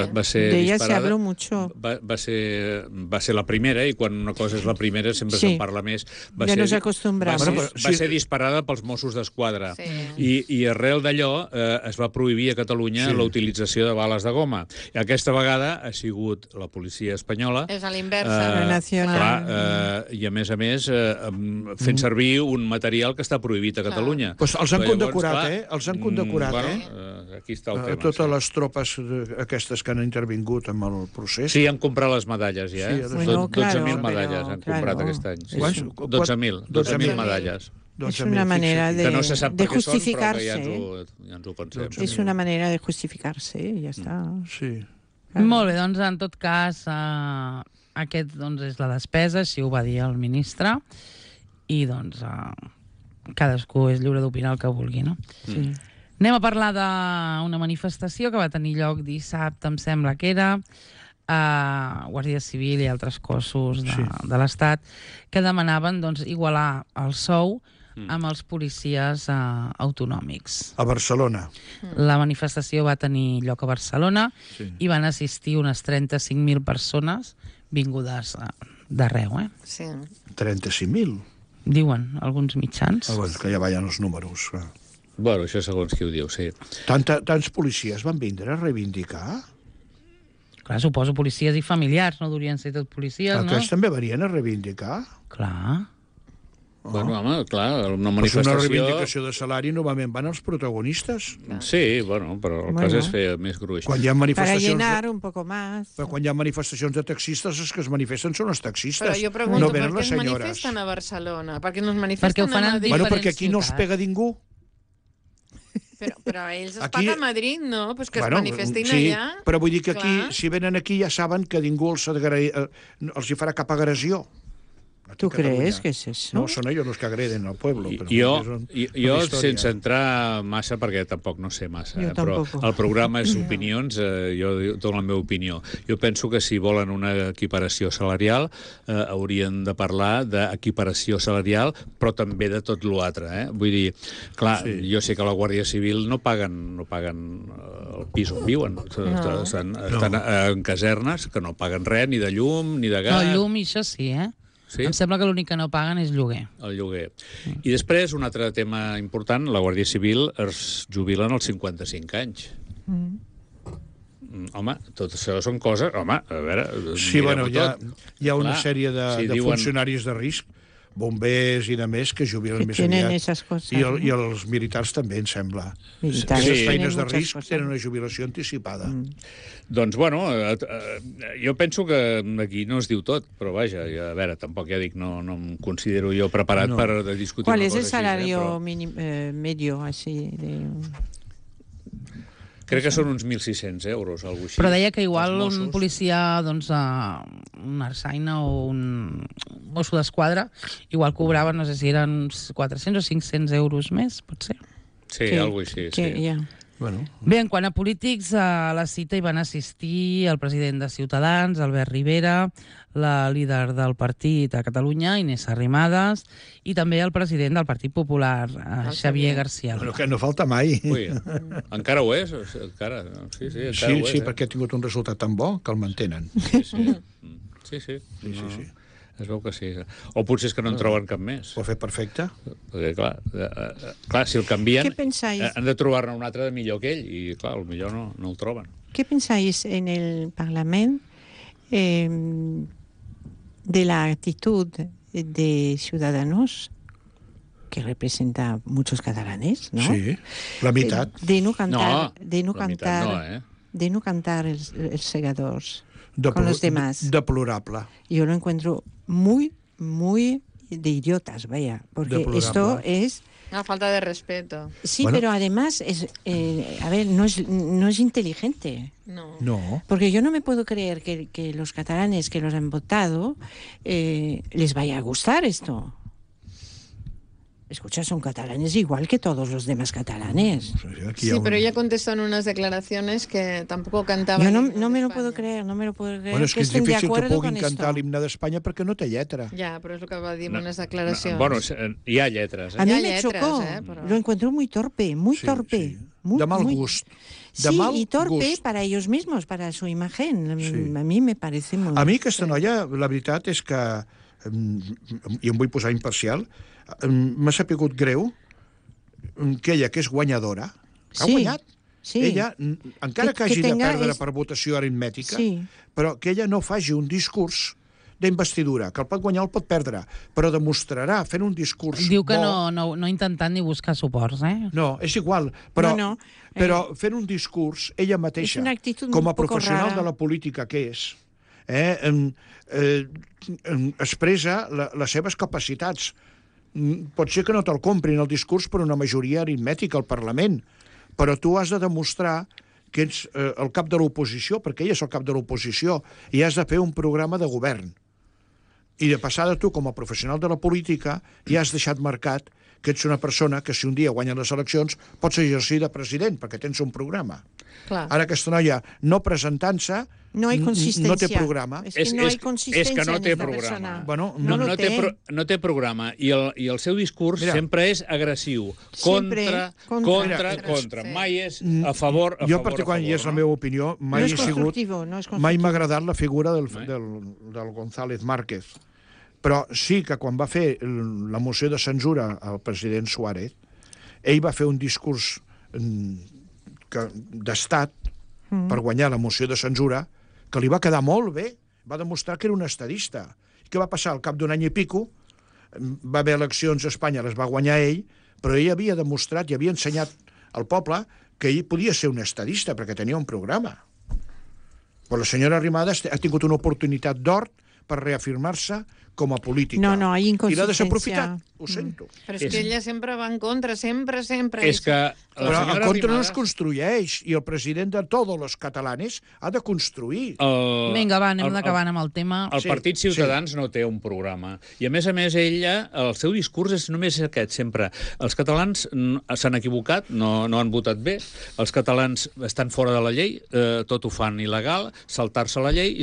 va ser de ella disparada. se habló mucho. Va ser la primera, i quan una cosa és la primera sempre se'n parla més. Ja nos acostumbramos. Va ser disparada pels Mossos d'Esquadra. I arrel d'allò es va prohibir a Catalunya la utilització de bales de goma. I aquesta vegada ha sigut la policia espanyola. És a l'inversa. La nacional. I a més, fent servir un material que està prohibit a Catalunya. Pues els han condecorat, Els han condecorat, Aquí està el tema. Totes les tropes aquestes que han intervingut en el procés. Sí, han comprat les medalles, ja. 12.000 medalles han comprat aquest any. 12.000 medalles. Es una manera de, que no se sap de per què són, justificarse. però que ja ens ho pensem. Es una manera de justificarse, ja està. Sí. Molt bé, doncs en tot cas aquest doncs, és la despesa, així ho va dir el ministre, i doncs cadascú és lliure d'opinar el que vulgui, no? Sí. Anem a parlar d'una manifestació que va tenir lloc dissabte, em sembla que era, Guàrdia Civil i altres cossos de l'Estat, que demanaven doncs, igualar el sou amb els policies autonòmics. A Barcelona. La manifestació va tenir lloc a Barcelona i van assistir unes 35.000 persones vingudes d'arreu. Sí. 35.000. Diuen alguns mitjans. Que ja ballen els números. Bueno, això segons qui ho diu, sí. Tants policies van vindre a reivindicar? Clar, suposo policies i familiars, no durien ser tot policies, no? Aquests també venien a reivindicar? Clar. Bueno, home, clar, una Però manifestació... una reivindicació de salari normalment van els protagonistes. Sí, bueno, però el cas és fer més gruix. Quan hi ha Para manifestacions... llenar un poco más. Però quan hi ha manifestacions de taxistes, els que es manifesten són els taxistes. Però jo pregunto, no per venen què les es senyores. manifesten a Barcelona? Per què no es manifesten Perquè ho fan a en Madrid? Bueno, diferents perquè aquí no els pega ningú. Però ells es Aquí- paga a Madrid, no? Pues que es manifestin allà. Però vull dir que aquí, Clar. si venen aquí, ja saben que ningú els hi farà cap agressió. ¿Tú crees que es eso? No, són ells els que agreden al pueblo. Però Jo sense entrar massa, perquè tampoc no sé massa, Jo però tampoc. el programa és opinions, jo dono la meva opinió. Jo penso que si volen una equiparació salarial, haurien de parlar d'equiparació salarial, però també de tot l'altre. Vull dir, clar, jo sé que la Guàrdia Civil no paguen el pis on viuen. Estan en casernes que no paguen res, ni de llum, ni de gas. No, llum i això sí, Sí? Em sembla que l'únic que no paguen és lloguer. El lloguer. I després, un altre tema important, la Guàrdia Civil es jubilen als 55 anys. Home, tot això són coses... Home, a veure... Sí, bueno, hi ha una Clar, sèrie de diuen- funcionaris de risc, bombers i de més, que jubilen Que més tienen aviat. esas cosas, I ¿no? els militars també, em sembla. Militares Les Sí. feines tienen de muchas risc cosas. tenen una jubilació anticipada. Doncs, bueno, jo penso que aquí no es diu tot, però vaja, a veure, tampoc ja dic, no em considero jo preparat per discutir ¿Cuál una es cosa el així, salario però medio así? crec que són uns 1.600 euros, alguna cosa així. Però deia que igual Els un Mossos. policia, doncs, un arsaina o un mosso d'esquadra, igual cobraven, no sé si eren uns 400 o 500 euros més, potser. Sí, alguna cosa així, sí. Ya. Bueno, Bé, en quant a polítics, a la cita hi van assistir el president de Ciutadans, Albert Rivera, la líder del partit a Catalunya, Inés Arrimadas, i també el president del Partit Popular, Xavier García. bueno, que no falta mai. Ui, encara ho és? Encara, sí, encara Sí, ho és. sí, perquè ha tingut un resultat tan bo que el mantenen. Sí. Es veu que sí. O potser és que no en troben cap més. Ho ha fet perfecte. Perquè, clar, si el canvien, ¿Qué pensáis? han de trobar-ne un altre de millor que ell, i, clar, millor no el troben. ¿Qué pensáis en el Parlamento de la actitud de Ciudadanos, que representa muchos catalanes, ¿no? Sí, la meitat. De no cantar, No, de no la meitat cantar, no, de no cantar els segadors con los demás. Deplorable. Yo lo encuentro muy de idiotas, vaya, porque Deplorable. esto es Una falta de respeto. Sí, Bueno. pero además, a ver, no es inteligente. No. No. Porque yo no me puedo creer que los catalanes que los han votado les vaya a gustar esto. Escucha, son catalanes igual que todos los demás catalanes. Aquí hi Sí, ha un- pero ella contestó en unas declaraciones que tampoco cantaba. Yo el himno no me de lo España. puedo creer, no me lo puedo creer. Bueno, és que és estén de difícil que acuerdo puguin con cantar esto. l'himne d'Espanya perquè no té lletra. Ja, però és el que va dir en unes No, declaracions. bueno, hi ha lletres. A mí Ya me letras, chocó, pero- lo encontré muy torpe, muy Sí, torpe. sí. Muy, De mal muy- gust. De Sí, mal y torpe gust. para ellos mismos, para su imagen. Sí. A mí me parece muy... A mi aquesta noia, la veritat és que, i em vull posar imparcial, m'ha sapigut greu que ella, que és guanyadora, que ha Sí, guanyat. sí. Ella, encara que hagi de tenga perdre per votació aritmètica, Sí. però que ella no faci un discurs d'investidura, que el pot guanyar o el pot perdre, però demostrarà fent un discurs Diu que bo. no intentant ni buscar suports, eh? No, és igual, però, No, no. però fent un discurs, ella mateixa, És una actitud com a un poco professional rara. de la política que és, expressa les seves capacitats. Pot ser que no te'l comprin el discurs per una majoria aritmètica al Parlament, però tu has de demostrar que ets el cap de l'oposició, perquè ella és el cap de l'oposició, i has de fer un programa de govern. I de passada tu, com a professional de la política, ja has deixat marcat que ets una persona que si un dia guanya les eleccions pots exercir de president, perquè tens un programa. Clar. Ara aquesta noia, no presentant-se, No hay consistencia. no té programa. Es que no hay consistencia és que no en té esta programa. persona. Bueno, no lo té. No té programa. I el seu discurs Mira. sempre és agressiu. Sempre Contra. contra. Sí. Mai és a favor, jo particularment, i és la meva opinió, mai No és he sigut... constructivo, no és constructivo. Mai m'ha agradat la figura del González Márquez. Però sí que quan va fer la moció de censura al president Suárez, ell va fer un discurs d'estat per guanyar la moció de censura que li va quedar molt bé, va demostrar que era un estadista. I què va passar? Al cap d'un any i pico va haver eleccions a Espanya, les va guanyar ell, però ell havia demostrat i havia ensenyat al poble que ell podia ser un estadista perquè tenia un programa. Però la senyora Arrimadas ha tingut una oportunitat d'or per reafirmar-se com a política. No, no, hay I l'ha inconsistencia. desaprofitat, ho sento. Però és que ella sempre va en contra, sempre. És que la Però el senyora contra no es Arrimadas... construeix, i el president de tots els catalanes ha de construir. Vinga, va, anem acabant amb el tema. El Sí, Partit Ciutadans no té un programa. I, a més, ella, el seu discurs és només aquest, sempre. Els catalans s'han equivocat, no han votat bé, els catalans estan fora de la llei, tot ho fan il·legal, saltar-se la llei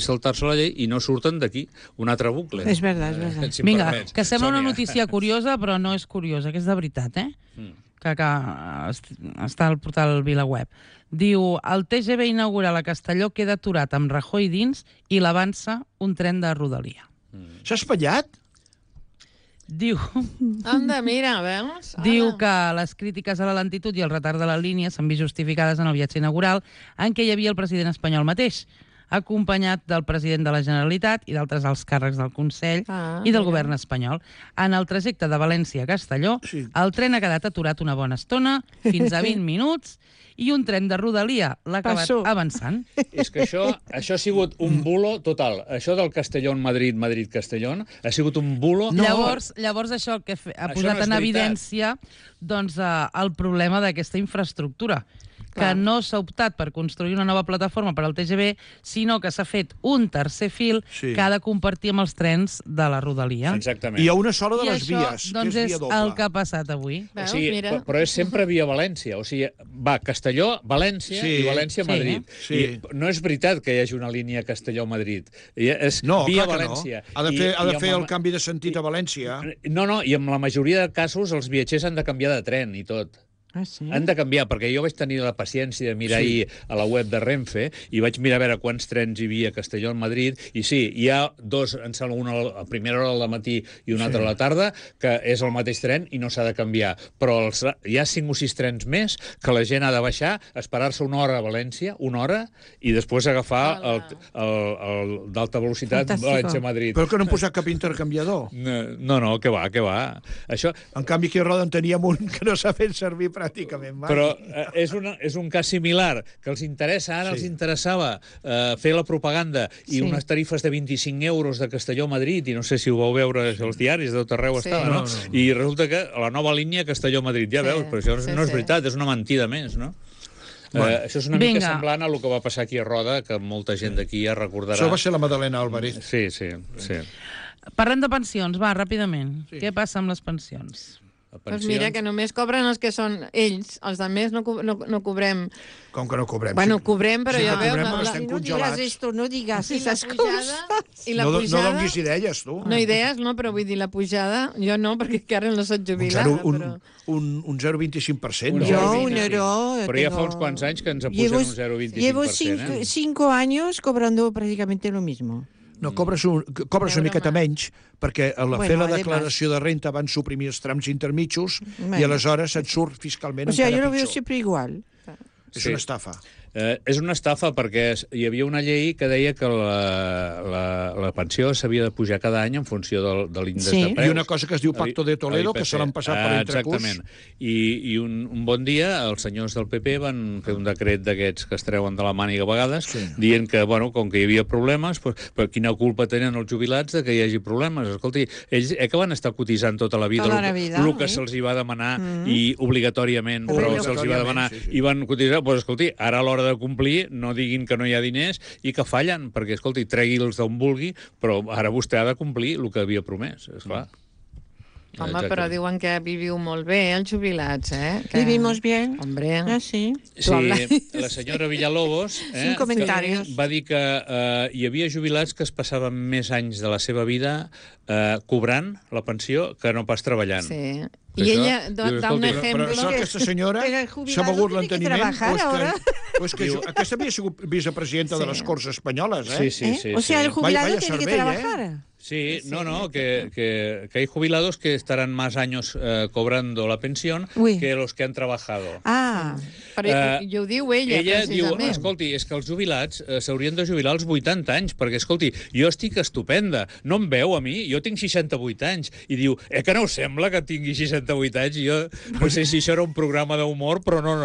i no surten d'aquí. Un altre bucle. És verdad, és verdad. Si em Vinga, permets. que sembla una Sònia. notícia curiosa, però no és curiosa, que és de veritat, eh? Que està al portal VilaWeb. Diu, el TGV inaugural a Castelló queda aturat amb Rajoy dins i l'avança un tren de rodalia. S'ha espatllat? Diu, Anda, mira, veus? diu que les crítiques a la lentitud i el retard de la línia s'han vist justificades en el viatge inaugural en què hi havia el president espanyol mateix, acompanyat del president de la Generalitat i d'altres alts càrrecs del Consell i del govern espanyol. En el trajecte de València a Castelló, Sí. el tren ha quedat aturat una bona estona, fins a 20 minuts, i un tren de rodalia l'ha acabat Passó. avançant. És que això ha sigut un bulo total. Això del Castellón-Madrid, Madrid-Castellón, ha sigut un bulo... Llavors això el que ha Això posat no és en veritat. evidència doncs, el problema d'aquesta infraestructura, que Clar. no s'ha optat per construir una nova plataforma per al TGV, sinó que s'ha fet un tercer fil Sí. que ha de compartir amb els trens de la rodalia. Exactament. I hi ha una sola de I les això, vies, doncs, que és és via doble. el que ha passat avui. O Veus, sigui, mira. però és sempre via València. O sigui, va Castelló, València Sí. i València-Madrid. Sí. I no és veritat que hi hagi una línia Castelló-Madrid. És No, via clar que València. no. Ha de fer, amb el canvi de sentit a València. No, i en la majoria de casos els viatgers han de canviar de tren i tot. Ah, sí? Han de canviar, perquè jo vaig tenir la paciència de mirar Sí. ahir a la web de Renfe i vaig mirar a veure quants trens hi havia a Castelló, al Madrid, i sí, hi ha dos, em sembla, un a primera hora del matí i un altre a la tarda, que és el mateix tren i no s'ha de canviar. Però hi ha 5 o 6 trens més que la gent ha de baixar, esperar-se una hora a València, una hora, i després agafar el d'alta velocitat Fantàstico. València-Madrid. Però que no han posat cap intercanviador. No, que va. Això, En canvi, aquí a Roda en teníem un que no s'ha fet servir pràcticament mai. Però és un cas similar, que els interessa, ara els interessava fer la propaganda i unes tarifes de 25 euros de Castelló a Madrid, i no sé si ho vau veure als diaris, de tot arreu estava, no? I resulta que la nova línia Castelló-Madrid, ja veus, però això no és veritat, és una mentida més, no? Això és una mica semblant a el que va passar aquí a Roda, que molta gent d'aquí ja recordarà. Això va ser la Madalena Álvarez. Sí. Parlem de pensions, va, ràpidament. Què passa amb les pensions? Doncs mira, que només cobren els que són ells, els altres no cobrem. Com que no cobrem? Bueno, cobrem, però ja veus... Cobrem, però estem congelats. No digas esas coses. I la pujada... No donis idees, tu. No idees, no, però vull dir, la pujada... Jo no, perquè encara no soc jubilada, però... Un 0,25%. Yo un euro... Però ja fa uns quants anys que ens apugen un 0,25%. Llevo 5 años cobrando prácticamente lo mismo. No, cobres una miqueta menys, perquè a la fer la declaració de renta van suprimir els trams intermitjos i aleshores et surt fiscalment encara pitjor. O sea, yo lo veo siempre igual. És una estafa. És una estafa perquè hi havia una llei que deia que la pensió s'havia de pujar cada any en funció de l'índex de preus. I una cosa que es diu Pacto de Toledo, que se l'han passat per l'entrecús. Exactament. I un bon dia els senyors del PP van fer un decret d'aquests que es treuen de la màniga a vegades, dient que, bueno, com que hi havia problemes, però quina culpa tenen els jubilats de que hi hagi problemes? Escolti, ells que van estar cotitzant tota la vida el que se'ls hi va demanar i obligatorìament, però se'ls hi va demanar i van cotitzar, doncs escolti, ara a l'hora de complir, no diguin que no hi ha diners i que fallen, perquè, escolti, tregui-los d'on vulgui, però ara vostè ha de complir el que havia promès, esclar. Home, però diuen que viviu molt bé, els jubilats, Que... Vivimos bien. Hombre. Ah, sí. Sí, la senyora Villalobos va dir que hi havia jubilats que es passaven més anys de la seva vida cobrant la pensió que no pas treballant. Sí. I ella da un exemple... Però aquesta senyora s'ha begut l'enteniment o és que aquesta havia sigut vicepresidenta de les Corts Espanyoles, Sí. O sea, el jubilado tiene que trabajar. Sí, que hay jubilados que estarán más años cobrando la pensión que los que han trabajado. Però ho diu ella, precisament. Diu, precisament. escolti, és que els jubilats s'haurien de jubilar als 80 anys, perquè, escolti, jo estic estupenda, no em veu a mi, jo tinc 68 anys, i diu, que no us sembla que tingui 68 anys? Jo no sé si això era un programa d'humor, però no,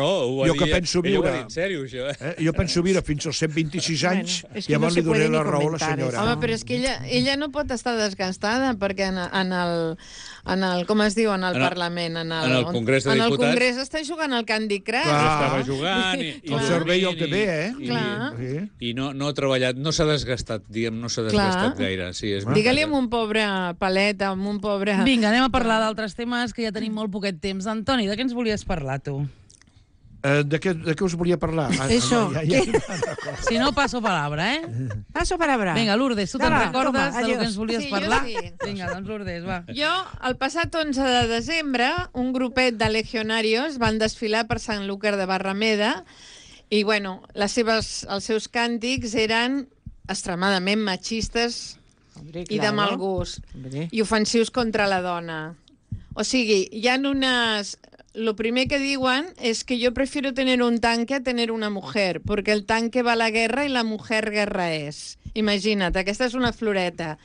jo que penso viure... En sèrio, això. Jo penso viure fins als 126 anys i llavors li donaré la raó a la senyora. Home, però és que ella no pot estar desgastada, perquè en el com es diu, en el Parlament, en el Congrés de Diputats, en el Congrés està jugant al Candy Crush. Estava jugant el servei el té bé, i no ha treballat, no s'ha desgastat, diguem, no s'ha desgastat gaire. Digue-li amb un pobre paleta, amb un pobre... Vinga, anem a parlar d'altres temes, que ja tenim molt poquet temps. Antoni, de què ens volies parlar, tu? De què us volia parlar? Eso. Si no, paso palabra, Paso palabra. Vinga, Lourdes, tu te'n recordes de lo que ens volies parlar? Sí. Vinga, doncs Lourdes, va. Jo, el passat 11 de desembre, un grupet de legionarios van desfilar per Sant Lúcar de Barrameda i, bueno, els seus càntics eren extremadament machistes i de mal gust i ofensius contra la dona. O sigui, hi ha unes... Lo primer que diuen es que yo prefiero tener un tanque a tener una mujer, porque el tanque va a la guerra y la mujer guerra es. Imagina't, aquesta és una floreta.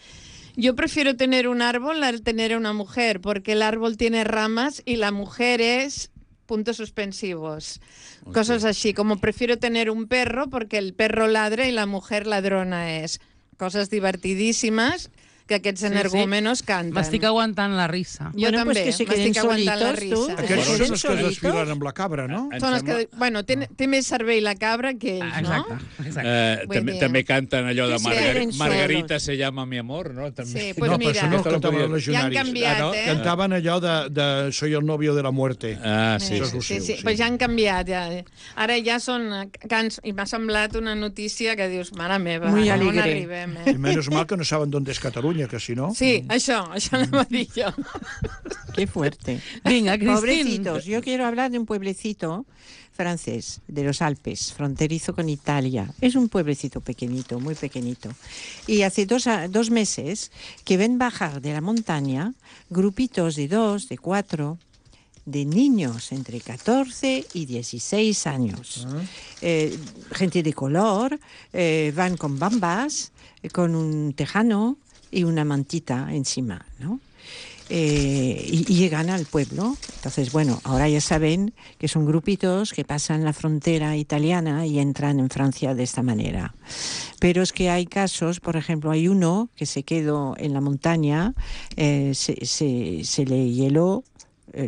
Yo prefiero tener un árbol a tener una mujer, porque el árbol tiene ramas y la mujer es... puntos suspensivos. Okay. Cosas así, como prefiero tener un perro porque el perro ladra y la mujer ladrona es. Cosas divertidísimas que aquests energúmenos canten. M'estic aguantant la risa. Jo també, m'estic aguantant la risa. Aquests són els que desfilen amb la cabra, no? Són els que... Bueno, té més cervell la cabra que ells, no? Exacte. També canten allò de Margarita se llama mi amor, no? Sí, pues mira. No, cantaven els ja han legionaris. canviat, Cantaven allò de Soy el novio de la muerte. Sí. Però ja han canviat, ja. Ara ja són cants, i m'ha semblat una notícia que dius, mare meva, on arribem, I menys mal que no saben d'on és Catalunya, que si no... Sí, això anava a dir jo. Qué fuerte. Venga, Cristín. Pobrecitos, yo quiero hablar de un pueblecito francés, de los Alpes, fronterizo con Italia. Es un pueblecito pequeñito, muy pequeñito. Y hace 2 meses que ven bajar de la montaña grupitos de 2, de 4, de niños entre 14 y 16 años. Gente de color, van con bambas, con un tejano y una mantita encima, ¿no? y llegan al pueblo. Entonces, bueno, ahora ya saben que son grupitos que pasan la frontera italiana y entran en Francia de esta manera. Pero es que hay casos, por ejemplo, hay uno que se quedó en la montaña, se le hieló,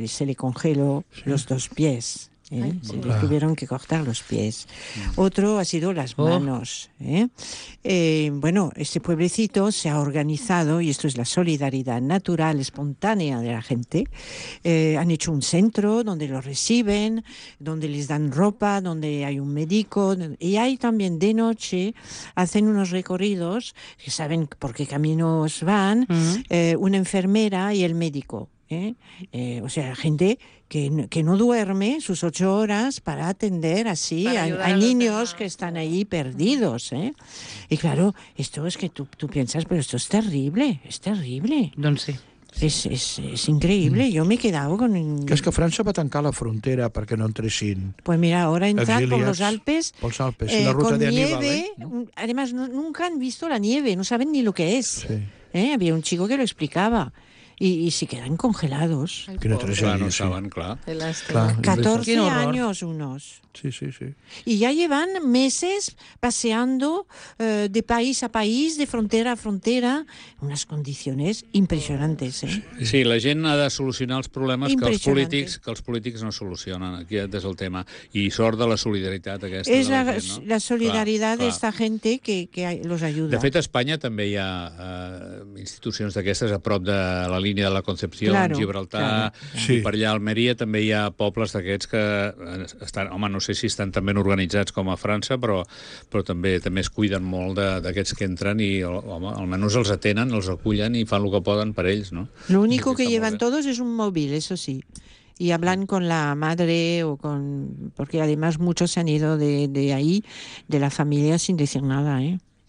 se le congeló los 2 pies. Se le tuvieron que cortar los pies. Otro ha sido las manos. Bueno, este pueblecito se ha organizado, y esto es la solidaridad natural, espontánea de la gente. Han hecho un centro donde los reciben, donde les dan ropa, donde hay un médico, y hay también de noche, hacen unos recorridos, que saben por qué caminos van, una enfermera y el médico. O sea, gente que no duerme sus 8 horas para atender así. Hay niños que están ahí perdidos. Y claro, esto es que tú piensas, pero esto es terrible, es terrible. Doncs sí. Es increíble. Yo me he quedado con... Que és que França va tancar la frontera perquè no entressin. Pues mira, ahora entrar por los exiliats Alpes, pels Alpes, la ruta con de Aníbal, nieve. ¿no? Además, nunca han visto la nieve, no saben ni lo que es. Sí. Había un chico que lo explicaba. Y se quedan congelados. Quina Clar, tragèdia, no sí. saben, clar. Clar. 14 Qué horror. años unos. Sí, sí, sí. Y ya llevan meses paseando de país a país, de frontera a frontera, en unas condiciones impresionantes. Sí, la gent ha de solucionar els problemes Impressionante. que els polítics no solucionen. Aquí és el tema. I sort de la solidaritat aquesta. Es de la gent, no? la solidaridad Clar, de esta gente que los ayuda. De fet, a Espanya també hi ha institucions d'aquestes a prop de la línia de la Concepció, Claro, Gibraltar, claro. Sí. i per allà a Almeria també hi ha pobles d'aquests que estan, home, no sé si estan tan ben organitzats com a França, però també es cuiden molt d'aquests que entren i, home, almenys els atenen, els acullen i fan el que poden per ells, no? Lo único que Està molt llevan bé. todos es un móvil, eso sí. Y hablan con la madre porque además muchos se han ido de ahí, de la familia, sin decir nada,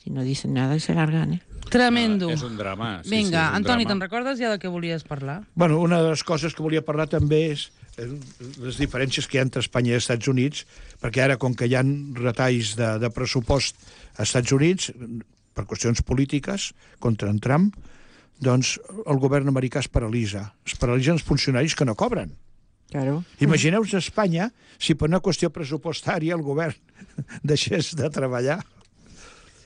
Si no dicen nada, se largan, Tremendo. És un drama. Sí, Vinga, sí, és un Antoni, drama. te'n recordes ja de què volies parlar? Bueno, una de les coses que volia parlar també és les diferències que hi ha entre Espanya i els Estats Units, perquè ara, com que hi ha retalls de pressupost als Estats Units, per qüestions polítiques, contra en Trump, doncs el govern americà es paralitza. Es paralitzen els funcionaris que no cobren. Claro. Imagineu-vos a Espanya si per una qüestió pressupostària el govern deixés de treballar.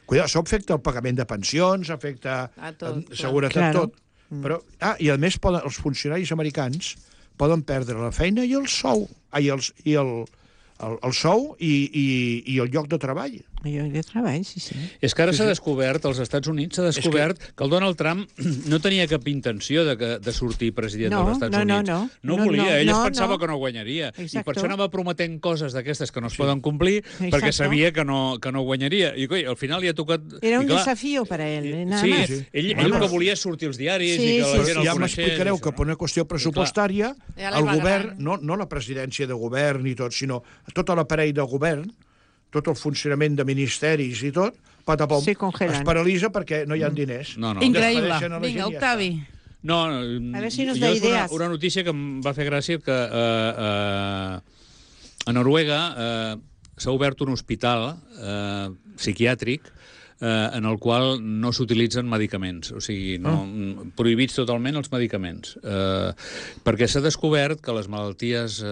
Cuidado, això afecta el pagament de pensions, afecta A tot, seguretat, Claro. tot. Però, i a més els funcionaris americans poden perdre la feina i el sou, el sou i el lloc de treball. Yo de trabajo, sí. És que ara s'ha descobert, als Estats Units s'ha descobert que el Donald Trump no tenia cap intenció de sortir president No, dels Estats no, no, Units. no. No No, volia, no, ell es no, pensava no. que no guanyaria. I Exacto. per això anava prometent coses d'aquestes que no es poden complir, Exacto. perquè sabia que no guanyaria. I coi, al final li ha tocat... Era un i clar, desafío para él, nada Sí, más. ell Nada el que más. volia és sortir als diaris Sí, i que la sí, gent Però el ja coneixés. m'explicareu que això, per una qüestió pressupostària Ja li el va govern, agradant. no la presidència de govern ni tot, sinó tot l'aparell de govern, tot el funcionament de ministeris i tot, patapom, Se congelen. es paralitza perquè no hi ha diners. No, no. Increïble. Despedeixen a la gent Vinga, i ja Octavi. No, A ver si nos jo da és idees. una notícia que em va fer gràcia que a Noruega s'ha obert un hospital psiquiàtric en el qual no s'utilitzen medicaments, o sigui, prohibits totalment els medicaments. Perquè s'ha descobert que les malalties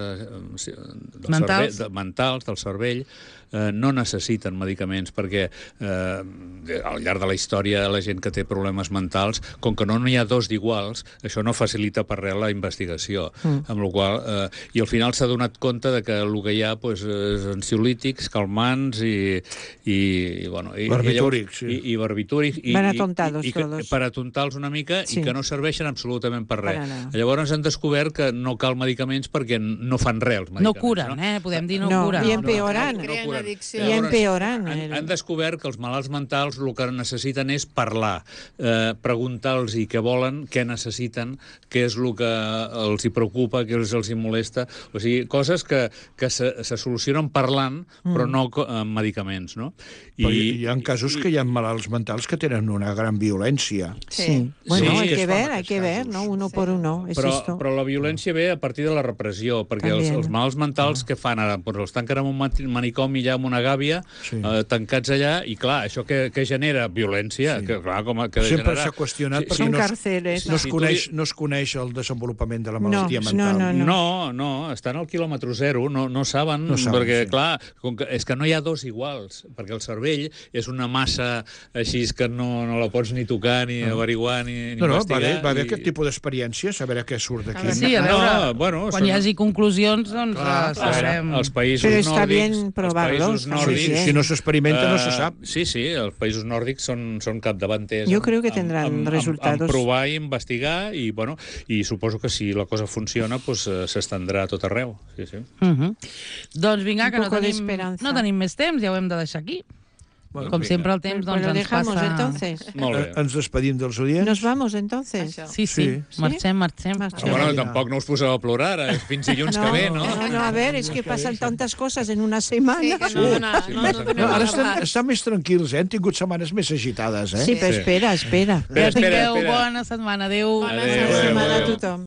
mentals del cervell no necessiten medicaments, perquè al llarg de la història la gent que té problemes mentals, com que no n'hi ha dos d'iguals, això no facilita per res la investigació. Amb la qual i al final s'ha donat compte de que el que hi ha és ansiolítics, calmants i Barbitúrics, sí. i barbitúrics Van atontados todos. per atontar-los una mica Sí. i que no serveixen absolutament per res. Per anar. Llavors han descobert que no cal medicaments perquè no fan res els medicaments. No curen, podem dir no No, curen. i empeoran. Creen curen. addicció. I empeoran. Han descobert que els malalts mentals el que necessiten és parlar, preguntar-los què volen, què necessiten, què és el que els hi preocupa, què els hi molesta. O sigui, coses que se solucionen parlant, però no amb medicaments, no? Però hi ha casos que hi ha malalts mentals que tenen una gran violència. Sí. Bueno, Sí, hay es que fan ver, hay aquests que ver, casos. ¿no? Uno por uno, es esto. Però la violència ve a partir de la repressió, perquè També. els malalts mentals que fan ara? Doncs els tanquen en un manicomi allà, amb una gàbia, Sí. tancats allà, i clar, això que genera? Violència, Sí. que clar, com que de Sempre generar... s'ha qüestionat Sí, perquè Son no, cárceles. no, es Si tu coneix, no es coneix el desenvolupament de la malaltia No, mental. No, estan al quilòmetre zero, no saben, No saben, perquè, sí. clar, és que no hi ha dos iguals, perquè el cervell és una massa així que no la pots ni tocar, ni averiguar, ni No, va investigar. haver aquest tipus d'experiències, a veure què surt d'aquí. Sí, a veure, bueno, quan hi hagi conclusions, doncs Clar, sabrem. Els països Però està nòrdics... bien provarlos, Els països també. nòrdics... Si no s'experimenta, no se sap. Sí, els països nòrdics són capdavanters. Jo creo que tendrán resultados. En provar i investigar, i, bueno, i suposo que si la cosa funciona, pues, s'estendrà a tot arreu. Sí, sí. Doncs vinga, Un que no poco de tenim, esperanza. no tenim més temps, ja ho hem de deixar aquí. Bueno, Com vinga. sempre el temps Pues doncs, lo ens dejamos passa... entonces. Molt bé. Ens despedim dels oients. Nos vamos entonces. Això. Sí, Sí. marxem. Marxem. Bueno, tampoc no us poseu a plorar, fins dilluns que ve, no? No, a ver, es que pasan tantas cosas en una semana. Sí, que no donem No, ara agafat. estan més tranquils, Hem tingut setmanes més agitades, Sí, pero Sí. espera. Que tingueu espera. bona setmana. Adéu. Bona Adéu. Bona setmana a Adéu. tothom.